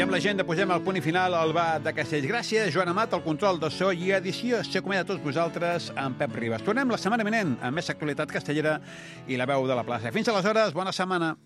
I amb l'agenda posem el punt i final al Bar de Castells. Gràcies, Joan Amat, el control de so i edició. S'acomiada a tots vosaltres amb Pep Ribas. Tornem la setmana vinent amb més actualitat castellera i la veu de la plaça. Fins aleshores, bona setmana.